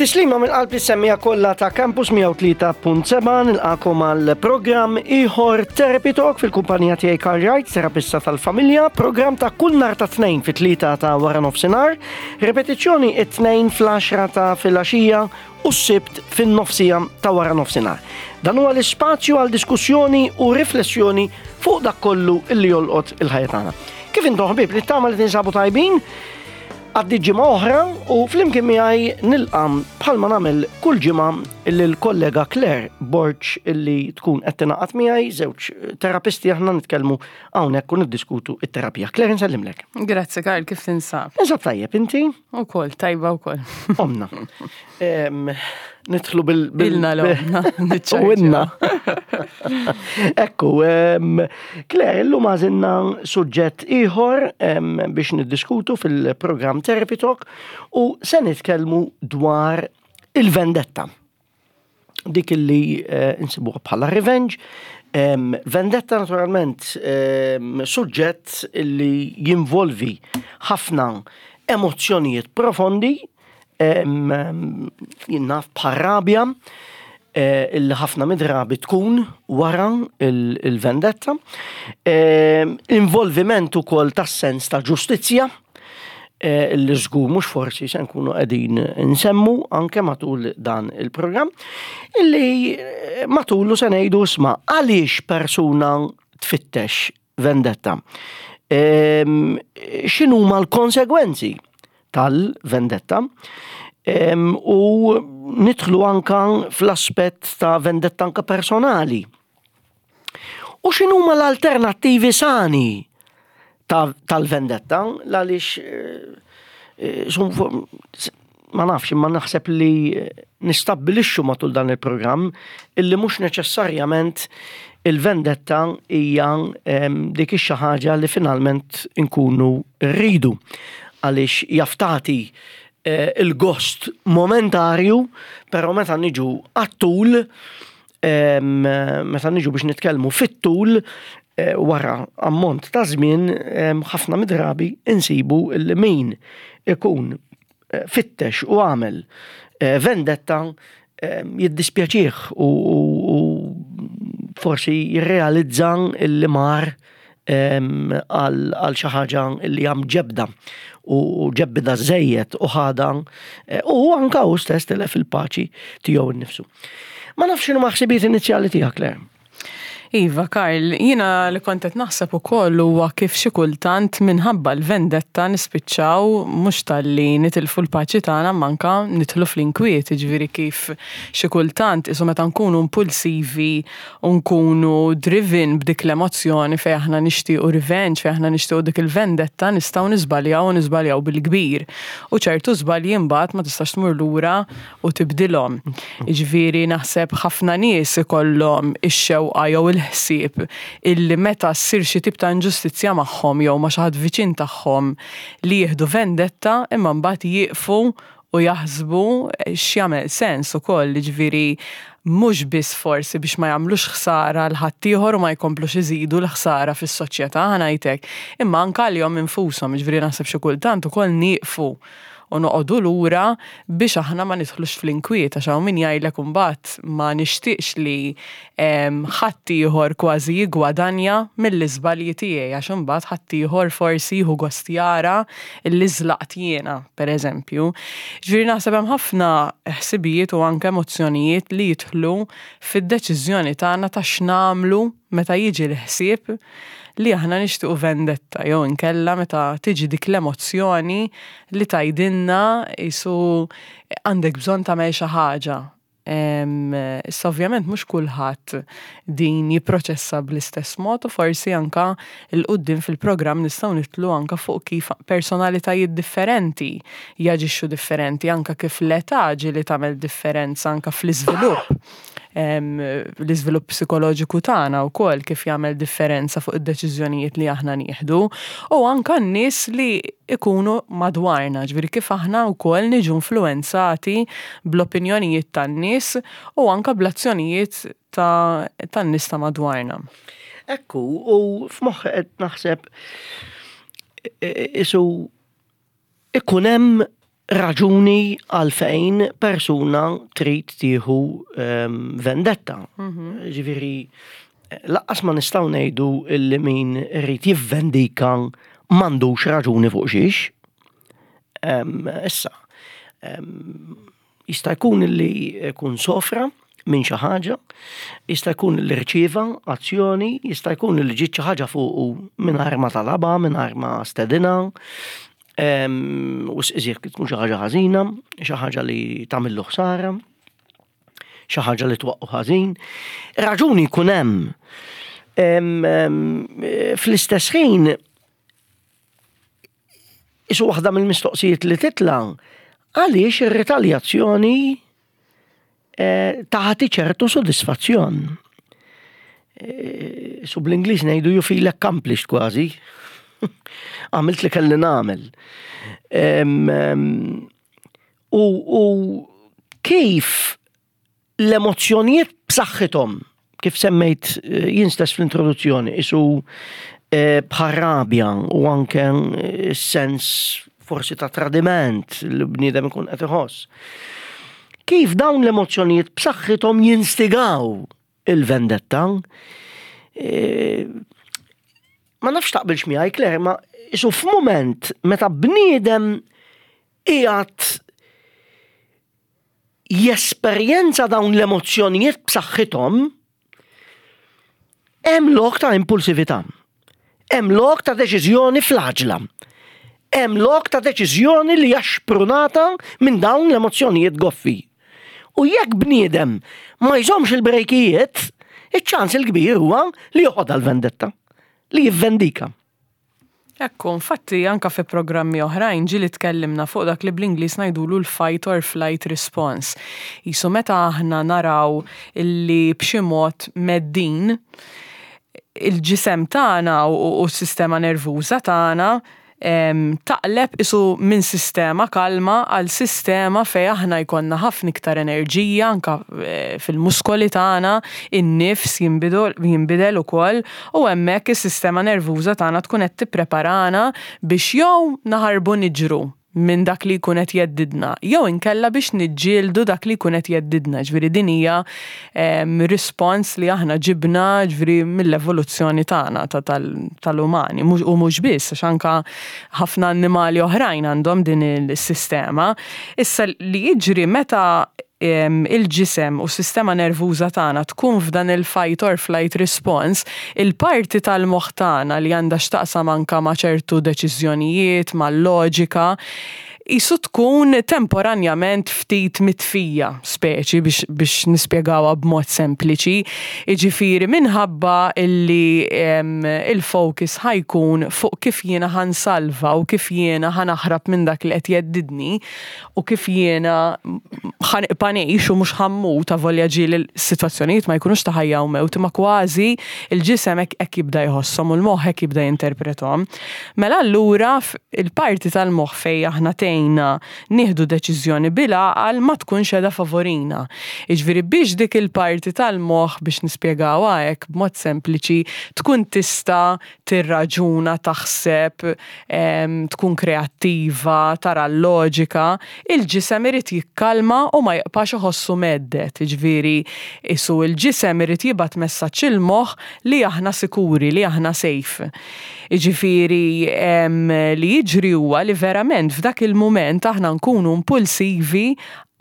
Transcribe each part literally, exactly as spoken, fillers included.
Tislima minn qalb is-semmiegħa kollha ta' Campus mija u tlieta punt sebgħa, nilqagħkom għal programm ieħor Therapy Talk fil-kumpanija tiegħi Karl Wright, terapista tal-familja, programm ta' kull nhar ta' Tnejn fit-tlieta ta' wara nofsinhar, repetizzjoni it-Tnejn fl-għaxra ta' filgħaxija u s-Sibt fin-nofsija ta' wara nofsinhar. Dan huwa l-ispazju għal diskussjoni u riflessjoni fuq dak kollu illi jolqot il-ħajja tagħna. Kif intom, ħbieb? Nittama li tinsabu tajbin? Għaddiet ġimgħa oħra u flimkien miegħi nilqa', bħalma nagħmel kull ġimgħa, l-kollega Claire Borg illi tkun qed tingħaqad miegħi. Żewġ terapisti aħna, nitkellmu hawnhekk u niddiskutu it-terapija. Claire, nsellimlek. Grazzi Karl, kif tinsab? Ninsab tajjeb, inti? Ukoll, tajba wkoll. Omna. Nidħlu bil... Ilna l-omna. U inna. Ekku, Claire, illum għażilna suġġett ieħor biex niddiskutu fil-programm Therapy Talk u se nitkellmu dwar il-vendetta. Dik illi eh, insibuha bħala revenge. Vendetta naturalment suġġett illi jinvolvi ħafna emozzjonijiet profondi, jien naf, bħar-rabja, eh, illi ħafna midrabi tkun wara il-vendetta, involviment ukoll tas-sens ta' ġustizzja, eh, illi żgur mhux forsi se nkunu qegħdin nsemmu anke matul dan il-programm, illi eh, matulu se ngħidu, isma', għaliex persuna tfittex vendetta? X'inhuma l-konsegwenzi tal-vendetta? U nidħlu anka fl-aspett ta' vendetta anka personali. U x'inhuma l-alternattivi sani tal-vendetta, għaliex eh, ma nafx, imma naħseb li nistabbilixxu matul dan il-programm illi mhux neċessarjament il-vendetta hija dik ix ħaġa li finalment inkunu rridu, għaliex jaf tagħti eh, il-gost momentarju, però meta niġu għat-tul, meta niġu biex nitkellmu fit-tul, eh, wara ammont ta' żmien, ħafna midrabi insibu li min ikun eh, fittex u għamel vendetta jiddispjaċih u forsi jirrealizza illi mar għal xi ħaġa li hemm ġebda u ġebbida żejjed u ħada eh, u anka hu stess tilef il-paċi tiegħu nnifsu. Ma nafx x'inhu ħsibijiet inizjali tiegħek, Claire. Iva, Karl, jiena li kont qed naħseb ukoll huwa kif xi kultant minħabba l-vendetta nispiċċaw mhux talli nitilfu l-paċi tagħna, manka nidħlu fl-inkwiet, jiġifieri kif xi kultant isu meta nkunu impulsivi u nkunu driven b'dik l-emozzjoni fejn aħna nixtiequ revenge, fejn aħna nixtiequ dik il-vendetta, nistgħu niżbaljaw u niżbaljaw bil-kbir. U ċertu żbalji mbagħad ma tistax tmur lura u tibdilhom. Jiġifieri naħseb ħafna nies ikollhom ix-xewqa jew il-ħsieb illi meta ssir xi tip ta' inġustizzja magħhom jew ma' xi ħadd viċin tagħhom li jieħdu vendetta, imma mbagħad jieqfu u jaħsbu x'jagħmel sens ukoll, jiġifieri mhux biss forsi biex ma jagħmlux ħsara 'l ħaddieħor u ma jkomplux iżidu l-ħsara fis-soċjetà, ħa ngħidlek, imma anke għalihom infushom, jiġifieri naħseb xi kultant ukoll nieqfu u noqogħdu lura biex aħna ma nidħlux fl-inkwiet, għax hawn min jgħidlek imbagħad ma nixtieqx li ħaddieħor kważi jiggwadanja mill-iżbalji tiegħi, għax imbagħad ħaddieħor forsi jieħu gost jara li żlaqt jiena, pereżempju. Ġifieri naħseb hemm ħafna ħsibijiet u anke emozzjonijiet li jidħlu fid-deċiżjoni tagħna ta' x'nagħmlu meta jiġi l-ħsieb li aħna nixtiequ vendetta jew inkella meta tiġi dik l-emozzjoni li tgħidilna isu għandek bżonn tagħmel xi ħaġa. Issa ovvjament mhux kulħadd din jipproċessa bl-istess mod u forsi anka 'l quddiem fil-programm nistgħu nidħlu anka fuq kif personalitajiet differenti jaġixxu differenti, anka kif l-età ġieli tagħmel differenza anka fl-iżvilupp l-iżvilupp psikoloġiku tagħna wkoll, kif jagħmel differenza fuq id-deċiżjonijiet li aħna nieħdu u anka n-nies li ikunu madwarna, ġifieri kif aħna wkoll niġu influenzati bl-opinjonijiet tan-nies u anka bl-azzjonijiet tan-nies ta' madwarna. Ekku, u f'moħħi qed naħseb isu ikun hemm raġuni għalfejn persuna trid tieħu ehm, vendetta. Mhm. Ġifieri, lanqas ma nistgħu ngħidu illi min irid jivvendika m'għandux raġuni fuq xiex. Em, Issa, em, jista' jkun li jkun sofra minn xi ħaġa, jista' jkun li rċieva azzjoni, jista' jkun li ġiet xi ħaġa fuqu mingħajr ma talabha, mingħajr ma stedina, em, u iżjed tkun xi ħaġa ħażina, xi ħaġa li tagħmillu ħsara, xi ħaġa li twaqqu ħażin. Raġuni jkun hemm. Em, em, Fl-istess ħin, isu waħda mill-mistoqsijiet li titla' għaliex ir-retaljazzjoni eh, taħti ċertu sodisfazzjon. Eh, Su bl-Ingliż ngħidu you feel accomplished kważi. Għamilt li kelli nagħmel. Em, em, U, u kif l-emozzjonijiet b'saħħithom, kif semmejt eh, jien stess fl-introduzzjoni, isu eh, bħal-rabja u anke eh, sens forsi ta' tradiment li bniedem ikun qed iħoss. Kif dawn l-emozzjonijiet b'saħħithom jinstigaw il-vendetta, eh, ma nafx taqbilx miegħi Claire, ma isu f'mument meta bniedem qiegħed jesperjenza dawn l-emozzjonijiet b'saħħithom, hemm lok ta' impulsività. Hemm lok ta' deċiżjoni fl-għaġla. Hemm lok ta' deċiżjoni li hija xprunata minn dawn l-emozzjonijiet goffi. U jekk bniedem ma jżomx il-brejkijiet, iċ-ċans il-kbir huwa li joħodha l-vendetta, li jivvendika. Ekku, infatti anka fi programmi oħrajn ġieli tkellimna fuq dak li bl-Ingliż ngħidulu l-fight or flight response. Jisu meta aħna naraw illi b'xi mod mheddin il-ġisem tagħna u u s-sistema nervuża tagħna em, taqleb isu minn sistema kalma għal sistema fej aħna jkollna ħafna iktar enerġija anka eh, fil-muskoli tagħna, in-nifs jinbidel jinbidel ukoll u hemmhekk is-sistema nervuża tagħna tkun qed tippreparana biex jew naħarbu niġru minn dak li jkun qed jheddidna, jew inkella biex niġġieldu dak li jkun qed jheddidna. Ġifieri din hija em, respons li aħna ġibna ġifieri mill-evoluzzjoni tagħna ta' tal- tal-umani Mhux- u mhux biss għax anka ħafna annimali oħrajn għandhom din il-sistema. Issa li jiġri meta em, il-ġisem u s-sistema nervuża tagħna tkun f'dan il-fight or flight response, il-parti tal-moħħ tagħna li għandha x'taqsam anka ma' ċertu deċiżjonijiet, mal-loġika, jisu tkun temporanjament ftit mitfija, speċi biex, biex nispjegawha b'mod sempliċi. Iġifieri minħabba illi em, il-focus ħa jkun fuq kif jiena ħa nsalva u kif jiena ħa naħrab minn dak li qed jheddidni u kif jiena ħa nibqa' ngħix u mhux ħa mmut avolja ġieli l-sitwazzjonijiet ma jkunux ta' ħajja u mewt imma kważi il-ġisem hekk hekk jibda jħosshom u l-moħħ hekk jibda jinterprethom. Mela allura f- il-parti tal-moħħ fej aħna tgħinna nieħdu deċiżjoni bil-għaqal ma tkunx qiegħda favorina. Jiġifieri biex dik il-parti tal-moħħ biex nispjegawha hekk b'mod sempliċi tkun tista' tirraġuna, taħseb, em, tkun kreattiva, tara l-loġika, il-ġisem irid jikkalma u ma jibqax iħossu mhedded. Jiġifieri isu il-ġisem irid jibgħat messaġġ il-moħħ li aħna sikuri, li aħna safe. Jiġifieri em, li jiġri huwa li verament f'dak il-mument aħna nkunu impulsivi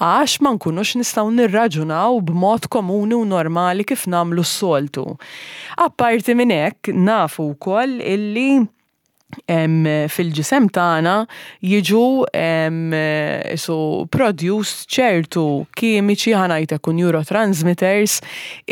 għax ma nkunux nistgħu nirraġunaw b'mod komuni u normali kif nagħmlu s-soltu. Apparti minn hekk nafu wkoll illi em, fil-ġisem tagħna jiġu em, isu produced ċertu kimiċi ħa ngħidlek u neurotransmitters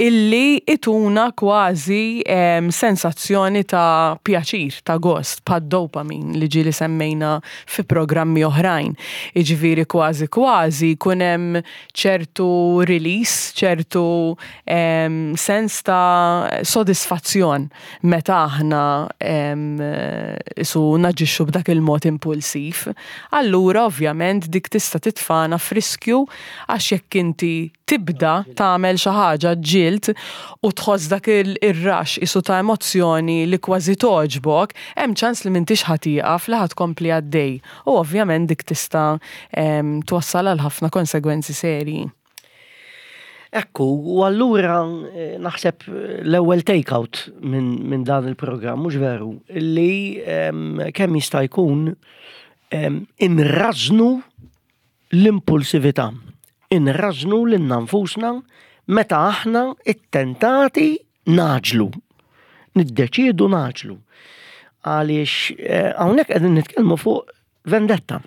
illi ituna kważi em, sensazzjoni ta' pjaċir, ta' gost, bħad dopamin li ġieli semmejna fi programmi oħrajn. Iġifieri kważi kważi jkun hemm ċertu release, ċertu em, sens ta' sodisfazzjon meta aħna em, Isu naġixxu b'dak il-mod impulsiv. Allura ovvjament dik tista' titfana f'riskju, għax jekk inti tibda tagħmel xi ħaġa ġilt u tħoss dak il-rush isu ta' emozzjoni li kważi togħġbok, hemm ċans li m'intix ħa tieqaf, li ħa tkompli għaddej. U ovvjament dik tista' twassal għal ħafna konsegwenzi serji. Ekku, u allura eh, naħseb l-ewwel take-out minn min dan il-programm, mhux veru, li kemm jista' jkun inrażnu l-impulsività, inrażnu lilna nfusna meta aħna ittentati ngħaġġlu, niddeċiedu ngħaġġlu. Għaliex eh, hawnhekk qegħdin nitkellmu fuq vendetta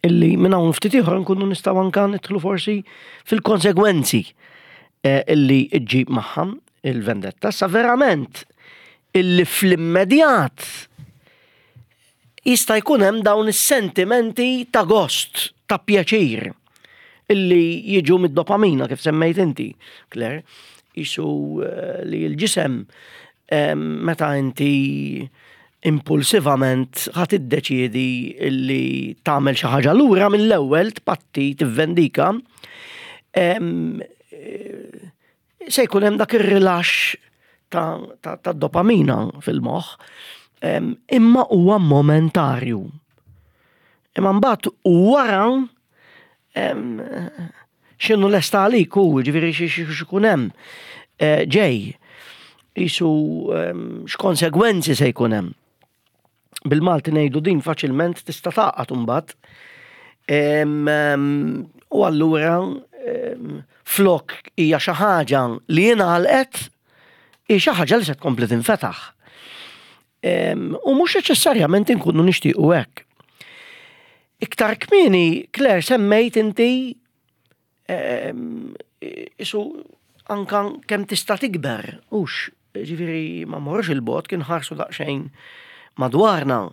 illi minn hawn ftit ieħor nkunu nistgħu anka nidħlu forsi fil-konsegwenzi eh, illi ġġib magħha il-vendetta. Sa verament illi fl-immedjat jista' jkun hemm dawn is-sentimenti ta' gost, ta' pjaċir illi jiġu mid-dopamina kif semmejt inti, Claire, isu eh, li l-ġisem eh, meta inti impulsivament ħa tiddeċiedi illi tagħmel xi ħaġa lura mill-ewwel, tpatti, tivvendika, em, eh, se jkun hemm dak ir-rilax ta', ta, ta' dopamina fil-moħħ, em, imma huwa momentarju. Imma mbagħad wara em, x'inhu lesta għalik u ġifieri x'ikun hemm eh, ġej jisu em, x'konsegwenzi se jkun hemm. Bil-Malti ngħidu din faċilment tista' taqgħod imbagħad. Em, em, U allura em, flok hija xi ħaġa li jingħalqet, hija xi ħaġa li se tkompli tinfetaħ. Em, U mhux neċessarjament inkunu nixtiequ hekk. Iktar kmieni, Claire, semmejt inti em, isu anka kemm tista' tikber, hux, ġifieri ma mmorrux 'il bogħod, kien ħarsu daqsxejn madwarna,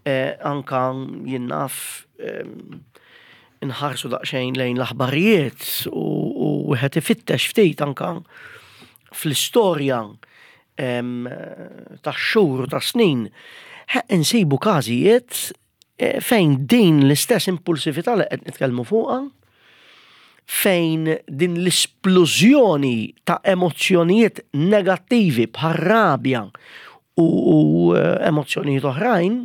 eh, anka jien naf em, nħarsu daqsxejn lejn l-aħbarijiet u u wieħed ifittex ftit anka fl-istorja em, ta' xhur u ta' snin, he, insibu każijiet eh, fejn din l-istess impulsività li qed nitkellmu fuqha, fejn din l-esplużjoni ta' emozzjonijiet negattivi bħal rabja u, u eh, emozzjonijiet oħrajn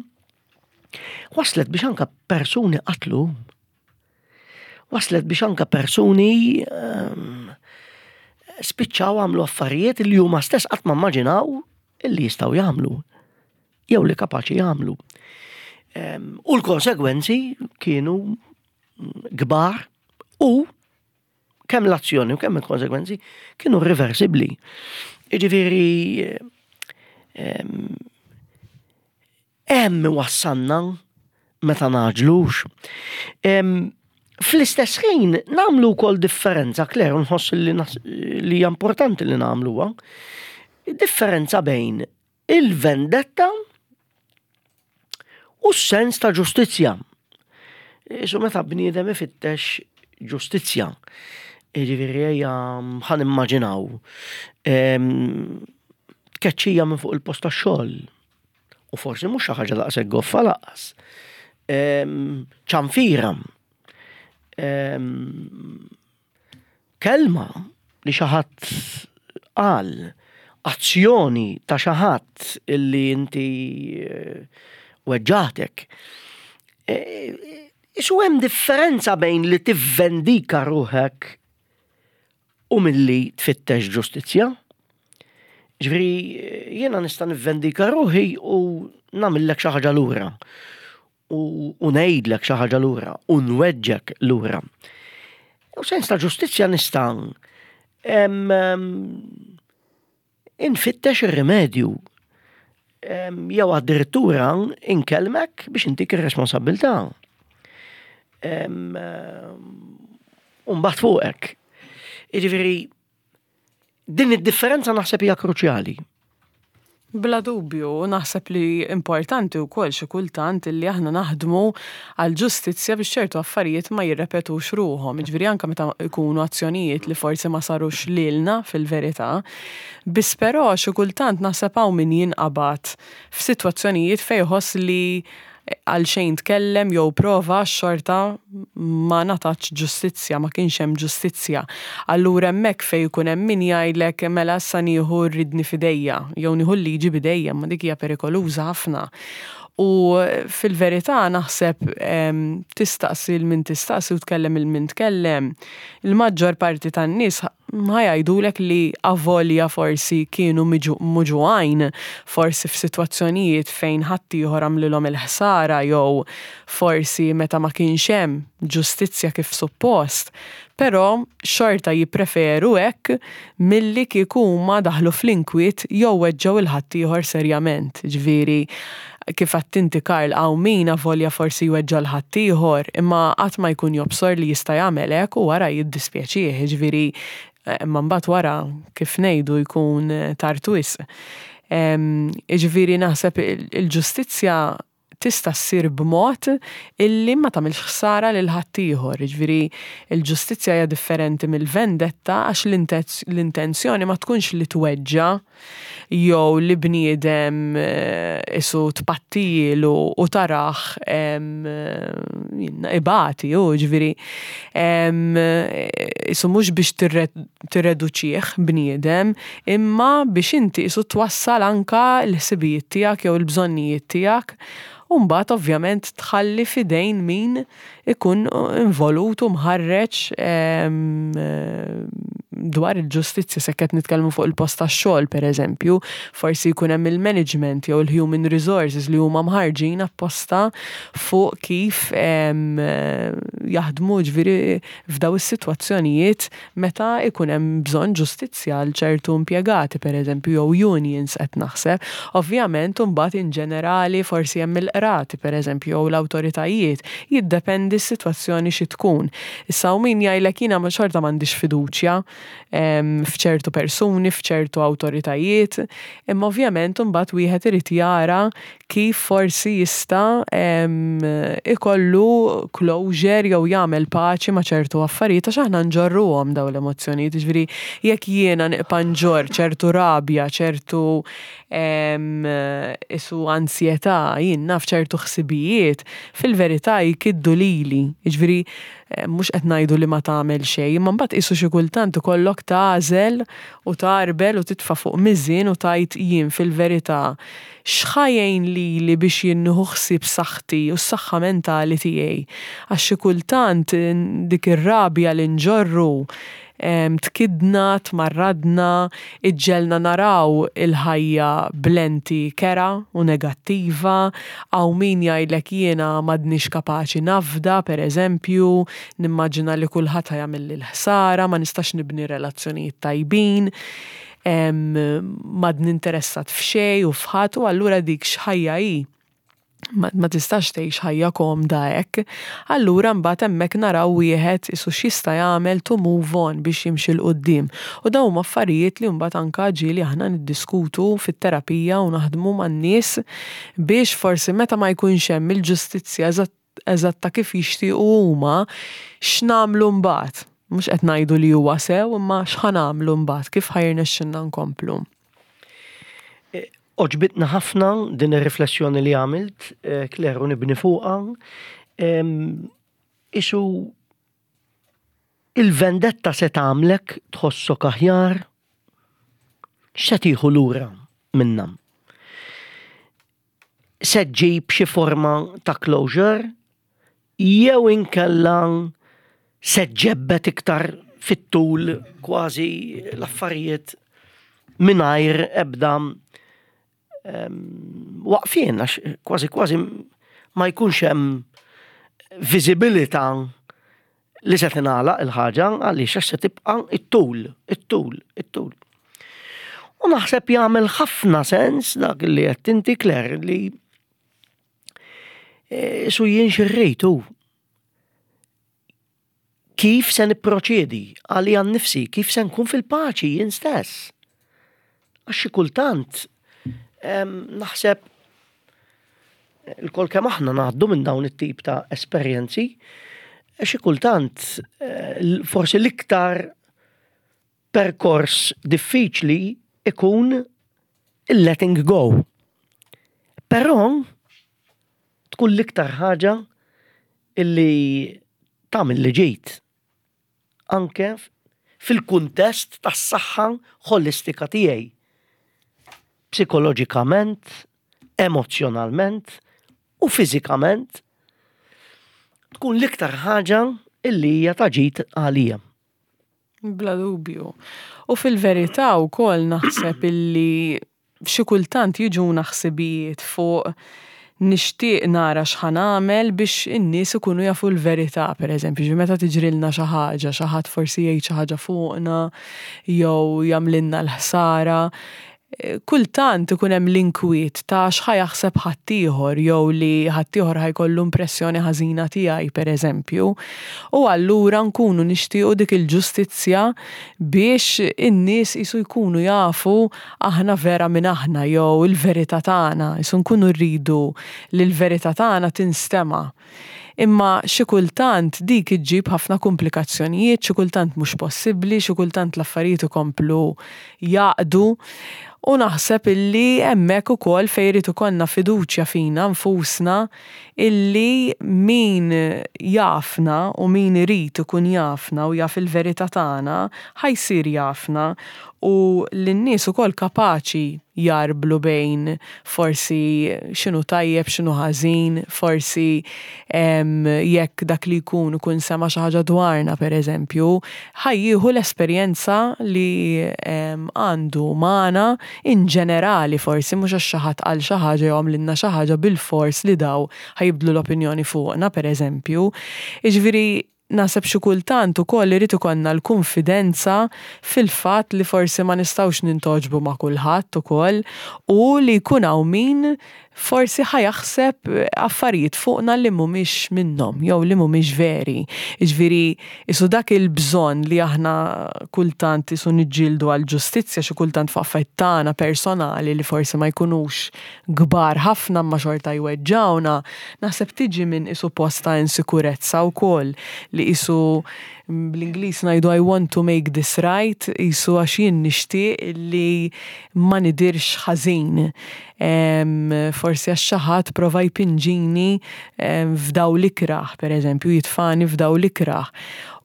waslet biex anka persuni qatlu. Waslet biex anka persuni um, spiċċaw għamlu affarijiet li huma stess qatt ma immaġinaw illi jistgħu jagħmlu jew li kapaċi jagħmlu. Um, u l-konsegwenzi kienu kbar u kemm l-azzjoni u kemm il-konsegwenzi kienu irreversibbli. Jiġifieri em, hemm wassalna meta ngħaġġlux. Em, Fl-istess ħin nagħmlu wkoll differenza, Claire, nħoss li, nas- li hija importanti li nagħmluha. Differenza bejn il-vendetta u s-sens ta' ġustizzja. Isu meta bniedem ifittex ġustizzja. Jiġifieri ejja ħa nimmaġinaw em, tkeċċija minn fuq il-post tax-xogħol. U forsi mhux xi ħaġa daqshekk goffa lanqas. Em, ċanfira. Em, Kelma li xi ħadd qal, azzjoni ta' xi ħadd illi inti eh, weġġatek. Eh, Isu hemm differenza bejn li tivvendika ruħek u milli tfittex ġustizzja. Ġifieri, jiena nista' nivvendika ruħi u nagħmillek xi ħaġa lura. U, u ngħidlek xi ħaġa lura u nweġġek lura. U sens ta' ġustizzja nista' em, em, infittex ir-rimedju Em, jew addirittura inkellmek biex intik ir-responsabbiltà. Em, U mbagħad fuqek. Jiġifieri din id-differenza naħseb hija kruċjali. Bla dubju, naħseb li importanti wkoll xi kultant li aħna naħdmu għal ġustizzja biex ċertu affarijiet ma jirrepetux ruħhom. Jiġifieri anke meta jkunu azzjonijiet li forsi ma sarux lilna fil-verità. Biss però xi kultant naħseb hawn min jinqabad f'sitwazzjonijiet fejn jħoss li għal xejn tkellem jew prova xorta ma ngħatatx ġustizzja, ma kienx hemm ġustizzja. Allura hemmhekk fejn jkun hemm min jgħidlek mela issa nieħu r-riedni f'idejja jew nieħu l-liġi b'idejja, ma dik hija perikoluża ħafna. U fil-verità naħseb tistaqsi 'l min tistaqsi u tkellem 'il min tkellem, il-maġġor parti tan-nies ħa jgħidulek li avolja forsi kienu muġugħin, forsi f'sitwazzjonijiet fejn ħaddieħor għamlilhom il-ħsara jew forsi meta ma kienx hemm ġustizzja kif suppost, però xorta jippreferu hekk milli kieku huma daħlu fl-inkwiet jew weġġgħu 'il ħaddieħor serjament. Ġifieri kif għedt inti Karl hawn min avolja forsi jweġġa' 'l ħaddieħor imma qatt ma jkun jobsor li jista' jagħmel hekk u wara jiddispjaċih, ġifieri imma mbagħad wara kif ngħidu jkun tard wisq. Jiġifieri naħseb il-ġustizzja tista' ssir b'mod illi ma tagħmilx ħsara lil ħaddieħor. Jiġifieri il-ġustizzja hija differenti mill-vendetta għax l-intenzjoni ma tkunx li tweġġa' jew li bniedem isu tpattilu u tarah ibati u ġifieri isu mhux biex tirreduċih bniedem imma biex inti isu twassal anka l-ħsibijiet tiegħek jew il-bżonnijiet tiegħek u mbagħad ovvjament tħalli f'idejn min ikun involut u mħarreġ dwar il-ġustizzja se qed nitkellmu fuq il-post tax-xogħol pereżempju, forsi jkun hemm il-management jew il-human resources li huma mħarġin apposta fuq kif jaħdmu ġifieri f'daw is-sitwazzjonijiet meta ikun hemm bżonn ġustizzja għal ċertu impjegati pereżempju jew unions qed naħseb. Ovvjament imbagħad in ġenerali forsi hemm il-qrati pereżempju jew l-awtoritajiet, jiddependi s-sitwazzjoni xi tkun. Issa hawn min jgħidlek jiena xorta m'għandix fiduċja f'ċertu persuni, f'ċertu awtoritajiet, imma ovvjament imbagħad wieħed irid jara kif forsi jista' ikollu closure jew jagħmel paċi ma' ċertu affarijiet għax aħna nġorruhom dawn l-emozzjonijiet, jiġifieri jekk jiena nibqa' nġorr ċertu rabja, ċertu isu ansjetà, jien naf ċertu ħsibijiet, fil-verità jkiddu lili, jiġifieri mhux qed ngħidu li ma tagħmel xejn, imma mbagħad qisu xi kultant ikollok tagħżel u tarbel u titfa' fuq miżien u tgħid jien fil-verità x'ħa jgħin lili biex jien nieħu ħsieb saħħti u s-saħħa mentali tiegħi. Għax xi kultant dik ir-rabja li nġorru tkidna, tmarradna, iġġelna naraw il-ħajja b'lenti kerha u negattiva, hawn min jgħidlek jiena m'għadnix kapaċi nafda, per eżempju, nimmaġina li kulħadd ħa jagħmilli l-ħsara, ma nistax nibni relazzjonijiet tajbin, m'għadni interessat f'xejn u f'ħadd u allura dik x'ħajja hi. Ma, ma tistax tgħix ħajja komda hekk. Allura mbagħad hemmhekk naraw wieħed isu x'jista' jagħmel to move on biex jimxi 'l quddiem. U dawn huma affarijiet li mbagħad anka ġieli aħna niddiskutu fit-terapija u naħdmu man-nies biex forsi meta ma jkunx hemm il-ġustizzja eżatta kif jixtiequ huma x'nagħmlu mbagħad. Mhux qed ngħidu li huwa sew, imma x'ħa nagħmlu mbagħad, kif ħa jirnexxilna nkomplu. Għoġbitna ħafna din ir-riflessjoni li għamilt, Claire, u nibni fuqha. Isu il-vendetta se tagħmlek tħossok aħjar, x'se tieħu lura minnha? Se ġġib xi forma ta' closure jew inkella se ġġebbed iktar fit-tul kważi l-affarijiet mingħajr ebda waqfien, għax kważi kważi ma jkunx hemm viżibilità li se tingħalaq il-ħaġa għaliex għax se tibqa' it-tul, it-tul, it-tul. U naħseb jagħmel ħafna sens dak li qed inti Claire li su jien xirrejtu. Kif se nipproċedi għalija nnifsi, kif se nkun fil-paċi jien stess. Għax xi kultant Naħseb ilkoll kemm aħna ngħaddu minn dawn it-tip ta' esperjenzi, xi kultant eh, forsi l-iktar perkors diffiċli ikun il-letting go. Però tkun l-iktar ħaġa illi tagħmel li ġejt. Anke fil-kuntest tas-saħħa ħolistika tiegħi. Psikoloġikament, emozjonalment u fiżikament tkun l-iktar ħaġa illi hija ta' ġid għalija. Bla dubju. U fil-verità wkoll naħseb illi xi kultant jiġuna ħsibijiet fuq nixtieq nara x'ħa nagħmel biex in-nies ikunu jafu l-verità, pereżempju, ġi meta tiġrilna xi ħaġa, xi ħadd forsi jgħid xi ħaġa fuqna jew jagħmlilna l-ħsara. Kultant ikun hemm l-inkwiet ta' x'ħa jaħseb ħaddieħor jew li ħaddieħor ħa jkollu impressjoni ħażina tiegħi pereżempju. U allura nkunu nixtiequ dik il-ġustizzja biex in-nies qisu jkunu jafu aħna vera min aħna jew il-verità tagħna, qisu nkunu rridu li l-verità tagħna tinstema'. Imma xi kultant dik iġġib ħafna komplikazzjonijiet, xi kultant mhux possibbli, xi kultant l-affarijiet ikomplu jaqdu. U naħseb illi hemmhekk ukoll fejn irid ikollna fiduċja fina nfusna illi min jafna u min irid ikun jafna u jaf il-verità tagħna ħa jsir jafna u l-nies ukoll kapaċi jarblu bejn forsi x'inhu tajjeb, x'inhu ħażin, forsi jekk dak li jkun ikun sema' xi ħaġa dwarna pereżempju, ħa jieħu l-esperjenza li għandu magħna in ġenerali forsi mhux għax xi ħadd qal xi ħaġa jew għamlilna xi ħaġa bilfors li daw ħa jibdlu l-opinjoni fuqna pereżempju. Jiġifieri naħseb xi kultant ukoll irid ikollna l-konfidenza fil-fatt li forsi ma nistgħux nintogħġbu ma' kulħadd ukoll u li jkun hawn min forsi ħa jaħseb affarijiet fuqna li mhumiex minnhom jew li mhumiex veri. Jiġifieri qisu dak il-bżonn li aħna kultant qisu niġġieldu għall-ġustizzja xi kultant fuq affarijiet tagħna personali li forsi ma jkunux kbar ħafna imma xorta jweġġawna, naħseb tiġi minn qisu post ta' insikurezza wkoll li qisu bl-Ingliż ngħidu "I want to make this right", qisu għax jien nixtieq li ma nidirx ħażin. Forsi għax xi ħadd prova jpinġini f'dawl ikrah, pereżempju, jitfani f'dawl ikrah.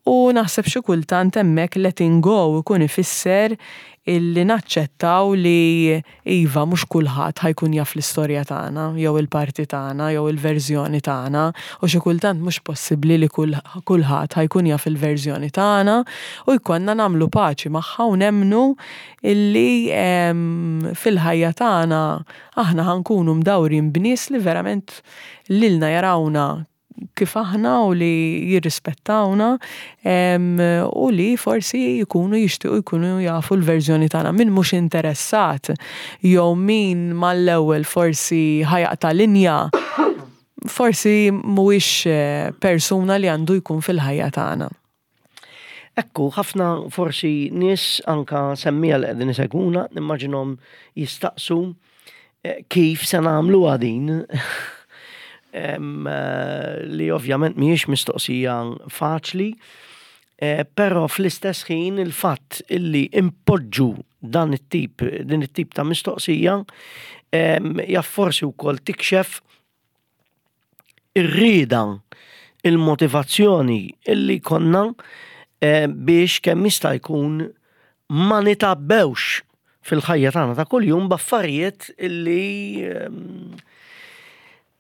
U naħseb xi kultant hemmhekk letting go ikun ifisser illi naċċettaw li iva, mhux kulħadd ħa jkun jaf l-istorja tagħna jew il-parti tagħna jew il-verżjoni tagħna u xi kultant mhux possibbli li kulħadd ħa jkun jaf il-verżjoni tagħna u jkollna nagħmlu paċi magħha u nemmnu illi fil-ħajja tagħna aħna ħa nkunu mdawrin b'nies li verament lilna jarawna kif aħna u li jirrispettawna u li forsi jkunu jixtiequ jkunu jafu l-verżjoni tagħna. Min mhux interessat jew min mal-ewwel forsi ħa jaqta' linja, forsi mhuwiex eh, persuna li għandu jkun fil-ħajja tagħna. Ekku, ħafna forsi nies, anka semmiegħa li qegħdin isegwuna, nimmaġinhom jistaqsu eh, kif se nagħmlu din, eh, li ovvjament mhijiex mistoqsija faċli, eh, però fl-istess ħin il-fatt illi impoġġu dan it-tip, din it-tip ta' mistoqsija jaf forsi wkoll tikxef ir-rieda, il-motivazzjoni illi konna eh, biex kemm jista' jkun ma nitabbewx fil-ħajja tagħna ta' kuljum b'affarijiet illi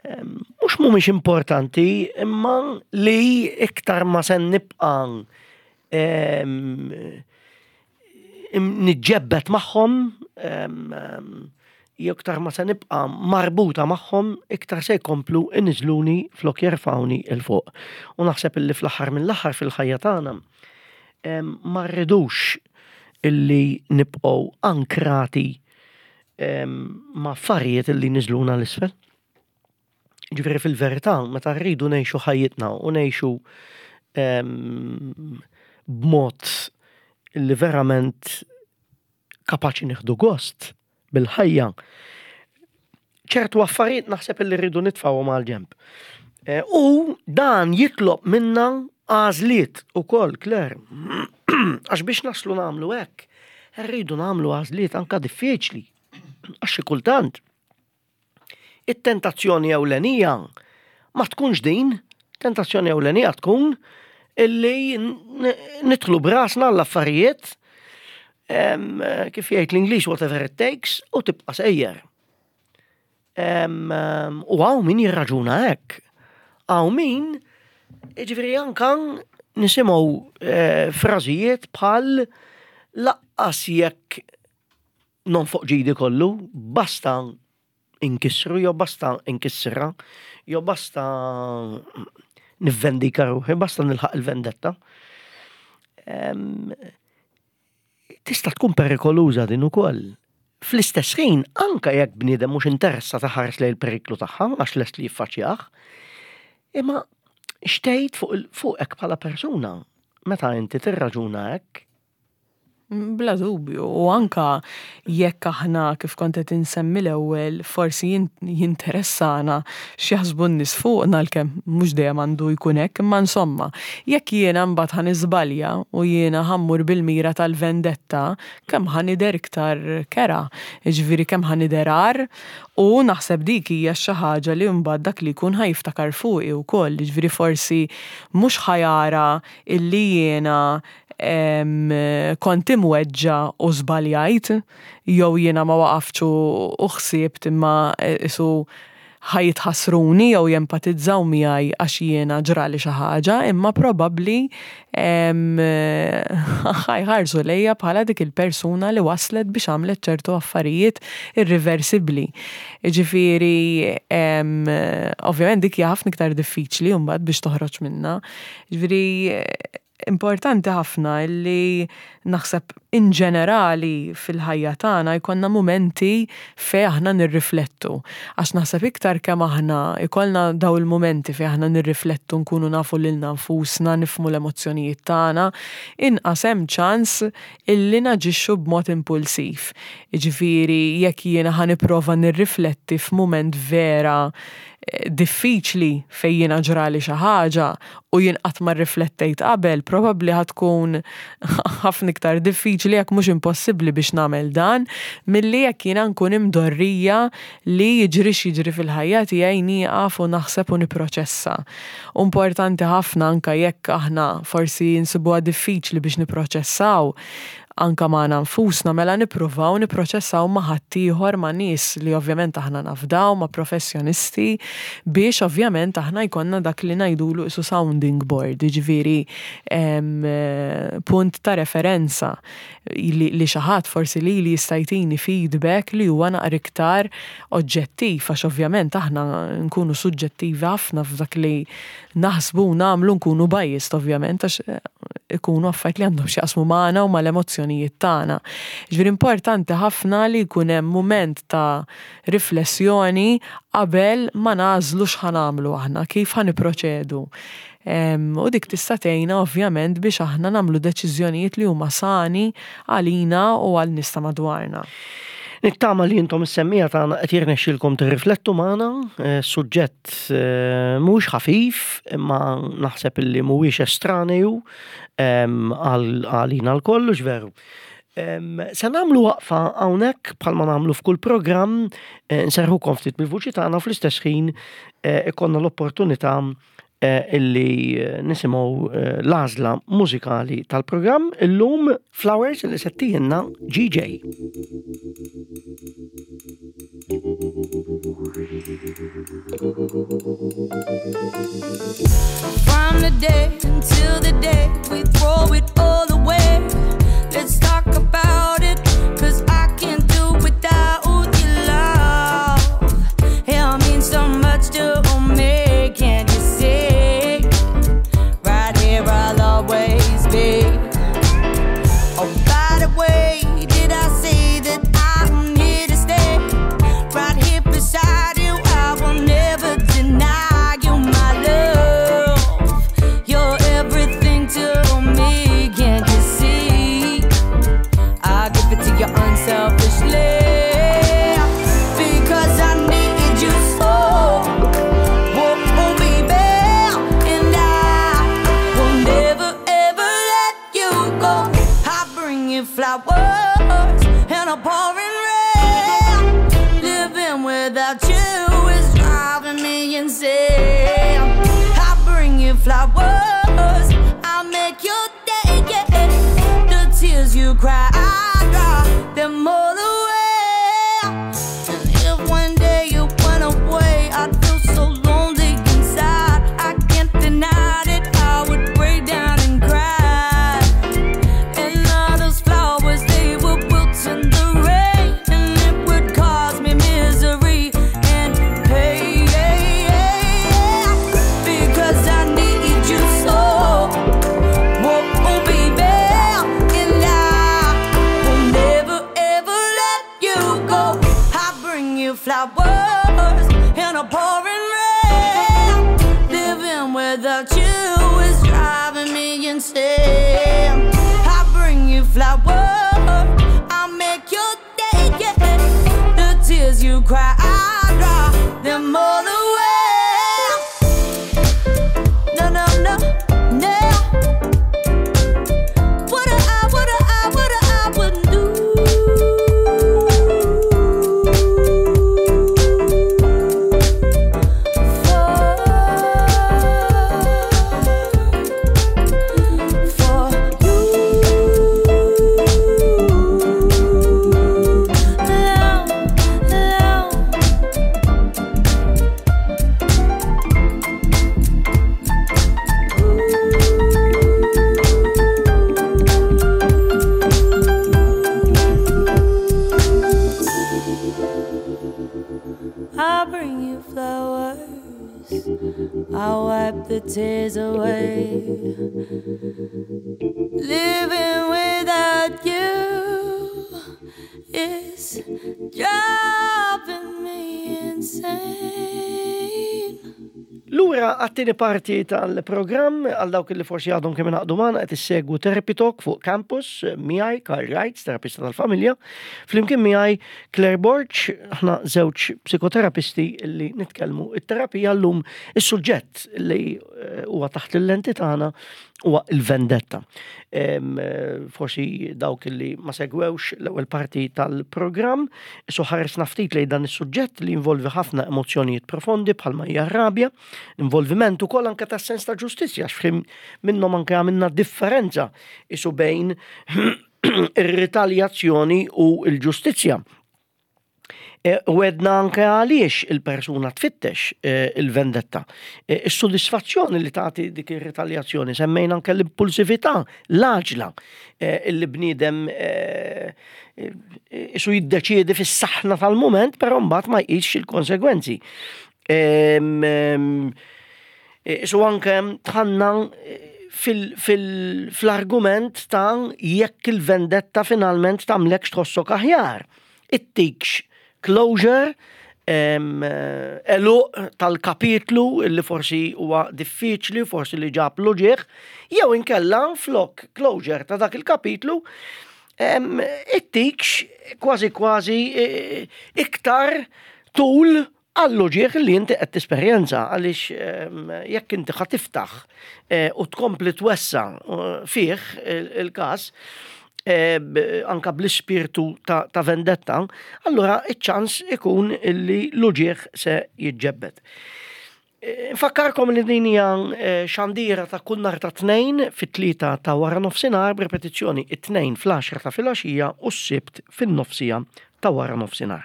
mhux mhumiex importanti, imma li iktar ma se nibqa' niġġebbet magħhom jew iktar ma se nibqa' marbuta magħhom, iktar se jkomplu iniżluni flok jerfawni 'l fuq. U naħseb illi fl-aħħar mill-aħħar fil-ħajja tagħna ma rridux illi nibqgħu ankrati ma' affarijiet illi niżluna 'l isfel. Ġifieri fil-verità, meta rridu ngħixu ħajjitna u ngħixu b'mod li verament kapaċi nieħdu gost bil-ħajja, ċertu affarijiet naħseb li rridu nitfgħuhom għal ġenb. Eh, u dan jitlob minna għażliet ukoll, Claire. Għax biex naslu nagħmlu hekk, rridu nagħmlu għażliet anka diffiċli. Għax xi kultant it-tentazzjoni ewlenija ma tkunx din, tentazzjoni ewlenija tkun illi nidħlu b'rasna l-affarijiet, kif jgħid l-Ingliż, "whatever it takes", u tibqa' sejjer. U hawn min jirraġuna hekk. Hawn min, ġifieri, anka nisimgħu eh, frażijiet bħal "lanqas jekk nonfoq ġidi kollu, basta inkissru, jew basta inkissra, jew basta nivvendika ruħi, basta nilħaq il-vendetta." Tista' tkun perikoluża din ukoll. Fl-istess ħin, anka jekk bniedem mhux interessat iħares lejn il-periklu tagħha għax lest li jiffaċċjah, imma x'tgħid fuq fuqek bħala persuna meta inti tirraġuna hekk? Bla dubju, u anka jekk aħna, kif kont qed insemmi l-ewwel, forsi jinteressana x'jaħsbu n-nies fuqna, għalkemm mhux dejjem għandu jkun hekk, imma insomma, jekk jiena mbagħad ħa niżbalja u jiena ħa mmur bil-mira tal-vendetta, kemm ħa nidher iktar kerha, jiġifieri kemm ħa nidher agħar, u naħseb dik hija xi ħaġa li mbagħad dak li jkun ħa jiftakar fuqi wkoll, jiġifieri forsi mhux ħa jara illi jiena kont imweġġa' u żbaljajt, jew jiena ma waqaftx u ħsibt, imma isu ħa jitħassruni jew jempatizzaw miegħi għax jiena ġrali xi ħaġa, imma probabbli ħa jħarsu lejja bħala dik il-persuna li waslet biex għamlet ċertu affarijiet irreversibbli. Ġifieri, ovvjament dik hija ħafna iktar diffiċli mbagħad biex toħroġ minna. Ġifieri, importanti ħafna li naħseb in ġenerali fil-ħajja tagħna jkollna mumenti fejn aħna nirriflettu. Għax naħseb iktar kemm aħna ikollna daw il-mumenti fejn aħna nirriflettu, nkunu nafu lilna nfusna, nifhmu l-emozzjonijiet tagħna, inqas hemm ċans illi naġixxu b'mod impulsiv. Jiġifieri jekk jiena ħa nipprova nirrifletti f'mument vera eh, diffiċli fejn jiena ġrali xi ħaġa u jien qatt ma rriflettejt qabel, probabbli ħa tkun ħafna iktar diffiċli, jekk mhux impossibbli, biex nagħmel dan milli jekk jiena nkun imdorrija li jiġri x'jiġri fil-ħajja tiegħi nieqaf u naħseb u nipproċessa. Importanti ħafna, anka jekk aħna forsi nsibuha diffiċli biex nipproċessaw anka magħna nfusna, mela nippruvaw nipproċessaw ma' ħaddieħor, ma' nies li ovvjament aħna nafdaw, ma' professjonisti, biex ovvjament aħna jkollna dak li ngħidulu isu sounding board, jiġifieri punt ta' referenza li, li xi ħadd forsi li li jista' jtini feedback li huwa naqra iktar oġġettiv, għax ovvjament aħna nkunu suġġettivi ħafna f'dak li naħsbu u nagħmlu, nkunu biased ovvjament għax ikunu affarijiet li għandhom x'jaqsmu magħna u mal-emozzjonijiet tagħna. Ġifieri importanti ħafna li jkun hemm mument ta' riflessjoni qabel ma nagħżlu x'ħa nagħmlu aħna, kif ħa nipproċedu. U dik tista' tgħinna ovvjament biex aħna nagħmlu deċiżjonijiet li huma sani għalina u għal nies ta' madwarna. Nittama li intom is-semmiegħa tagħna qed jirnexxilkom tirriflettu magħna, eh, suġġett eh, mhux ħafif, imma naħseb illi mhuwiex estraneu għalina lkoll, veru. Se nagħmlu waqfa hawnhekk bħalma nagħmlu f'kull programm, eh, nserħukom ftit bil-vuċi tagħna, fl-istess ħin ikollna l-opportunità illi nisimgħu l-għażla mużikali tal-programm, illum Flowers li se ttihielna G J. From the day until the day we throw it all away. Let's talk about it, 'cause I can't do without your love. It means so much to me, can't you see? Right here I'll always be. Oh, by the way, did I say that I'm here to stay? Right here beside you, I will never deny you my love. You're everything to me. cry, I dry them all away. And if one day you went away, I'd feel so lonely inside. I can't deny it, I would break down and cry. And all those flowers, they would wilt in the rain, and it would cause me misery and pain. Because I need you so, whoa, oh, baby, and I will never ever let you go. I bring you flowers in a pouring rain. Living without you is driving me insane. I bring you flowers, I make your day, yeah. The tears you cry, I dry them all away. No, no, no, no. What I, what I, what I wouldn't do. For, for you. Love, love. I bring you flowers, I wipe the tears away. Living without you is driving me insane. Lura għat-tieni parti tal-programm, għal dawk li forsi għadhom kemm ingħaqdu magħna, qed issegwu Therapy Talk fuq Campus miegħi Karl Wright, terapista tal-familja, flimkien miegħi Claire Borg, aħna żewġ psikoterapisti li nitkellmu it-terapija. Llum is-suġġett li eh, huwa taħt il-lenti tagħna huwa il-vendetta. Em, eh, Forsi dawk li ma segwewx l-ewwel parti tal-programm, so ħaresna ftit lejn dan is-suġġett li involvi ħafna emozzjonijiet profondi bħalma hija rabja, involviment ukoll anke tas sens ta' ġustizzja, għax fim minnhom anke għamilna differenza isu bejn ir-ritaljazzjoni u l-ġustizzja. E, U għedna anke għaliex il-persuna tfittex eh, il-vendetta. E, Is-sodisfazzjoni li tagħti dik ir-ritaljazzjoni, semmejna anke l-impulsività, l-għaġla, eh, illi bniedem eh, eh, isu jiddeċiedi fis-saħna tal-moment, però mbagħad ma jqisx il-konsegwenzi. Em, em, Isu anke tħanna fil-argument ta' jekk il-vendetta finalment tagħmlek tħossok aħjar. Ittikx closure, em, għeluq tal-kapitlu illi forsi huwa diffiċli, forsi li ġab l-uġigħ, jew inkella flok closure ta' dak il-kapitlu, em, ittikx kważi kważi eh, iktar tul għall-uġigħ li inti qed tesperjenza, għaliex em, jekk inti ħa tiftaħ eh, u tkompli twessa eh, fih il- il-każ eh, b- anka bl-ispirtu ta', ta' vendetta, allura iċ-ċans ikun illi l-uġigħ se jiġġebbed. Eh, Nfakkarkom li din hija eh, xandira ta' kull nhar ta' Tnejn fit-tlieta ta' wara nofsinhar, b'repetizzjoni it-Tnejn fl-għaxra ta' filgħaxija u s-Sibt fin-nofsija ta' wara nofsinhar.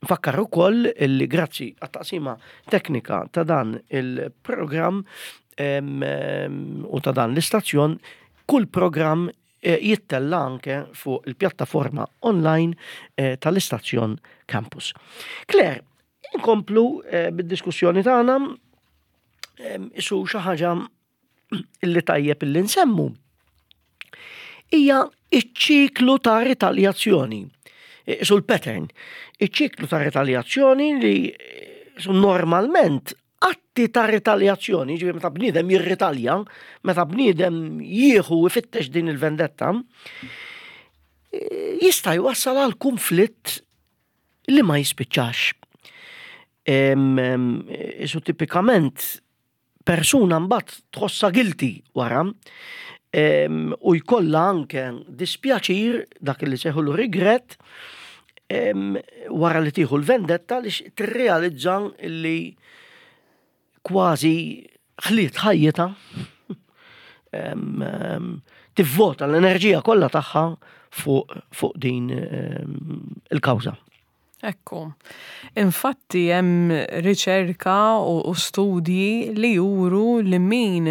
Nfakkar ukoll li grazzi għat-taqsima teknika ta' dan il-programm em, em, u ta' dan l-istazzjon, kull programm eh, jittella anke fuq il-pjattaforma online eh, tal-istazzjon Campus. Claire, inkomplu eh, bid-diskussjoni tagħna em, isu xi ħaġa illi tajjeb illi nsemmu hija iċ-ċiklu ta' ritaljazzjoni. Isu l-pattern. Iċ-ċiklu ta' ritaljazzjoni li isu normalment atti ta' ritaljazzjoni, ġifieri meta bniedem jirritalja, meta bniedem jieħu ifittex din il-vendetta, eh, jista' jwassal għal konflitt li ma jispiċċax. Em, em, Isu tipikament persuna mbagħad tħossha guilty wara em, u jkollha anke dispjaċir, dak li sejħulu regret, em, wara li tieħu l-vendetta li tirrealizza li kważi ħliet ħajjitha em, em, tivvota l-enerġija kollha tagħha fuq fuq din ehm, il-kawża. Ekku. Infatti hemm riċerka u, u studji li juru li min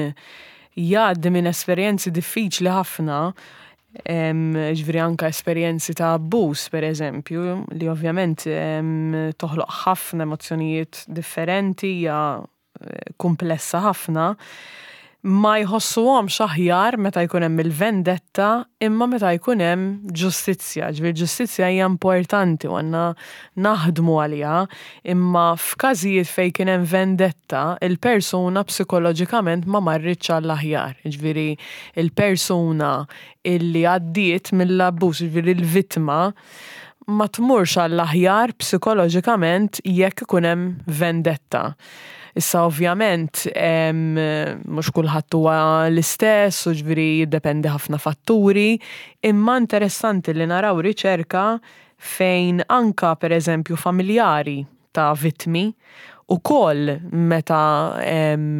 jgħaddi minn esperjenzi diffiċli ħafna, ġifieri anka esperjenzi ta' abbuż, per eżempju, li ovvjament em, toħloq ħafna emozzjonijiet differenti, hija eh, komplessa ħafna, ma jħossuhomx aħjar meta jkun hemm il-vendetta imma meta jkun hemm ġustizzja. Ġifieri ġustizzja hija importanti u għandna naħdmu għaliha, imma f'każijiet fejn kien hemm vendetta, il-persuna psikoloġikament ma marritx għall-aħjar. Ġifieri il-persuna illi għaddiet mill-abbuż, ġifieri il-vittma, ma tmurx għall-aħjar psikoloġikament jekk ikun hemm vendetta. Issa ovvjament mhux kulħadd huwa l-istess u ġifieri jiddependi ħafna fatturi, imma interessanti li naraw riċerka fejn anka per eżempju familjari ta' vittmi ukoll meta em,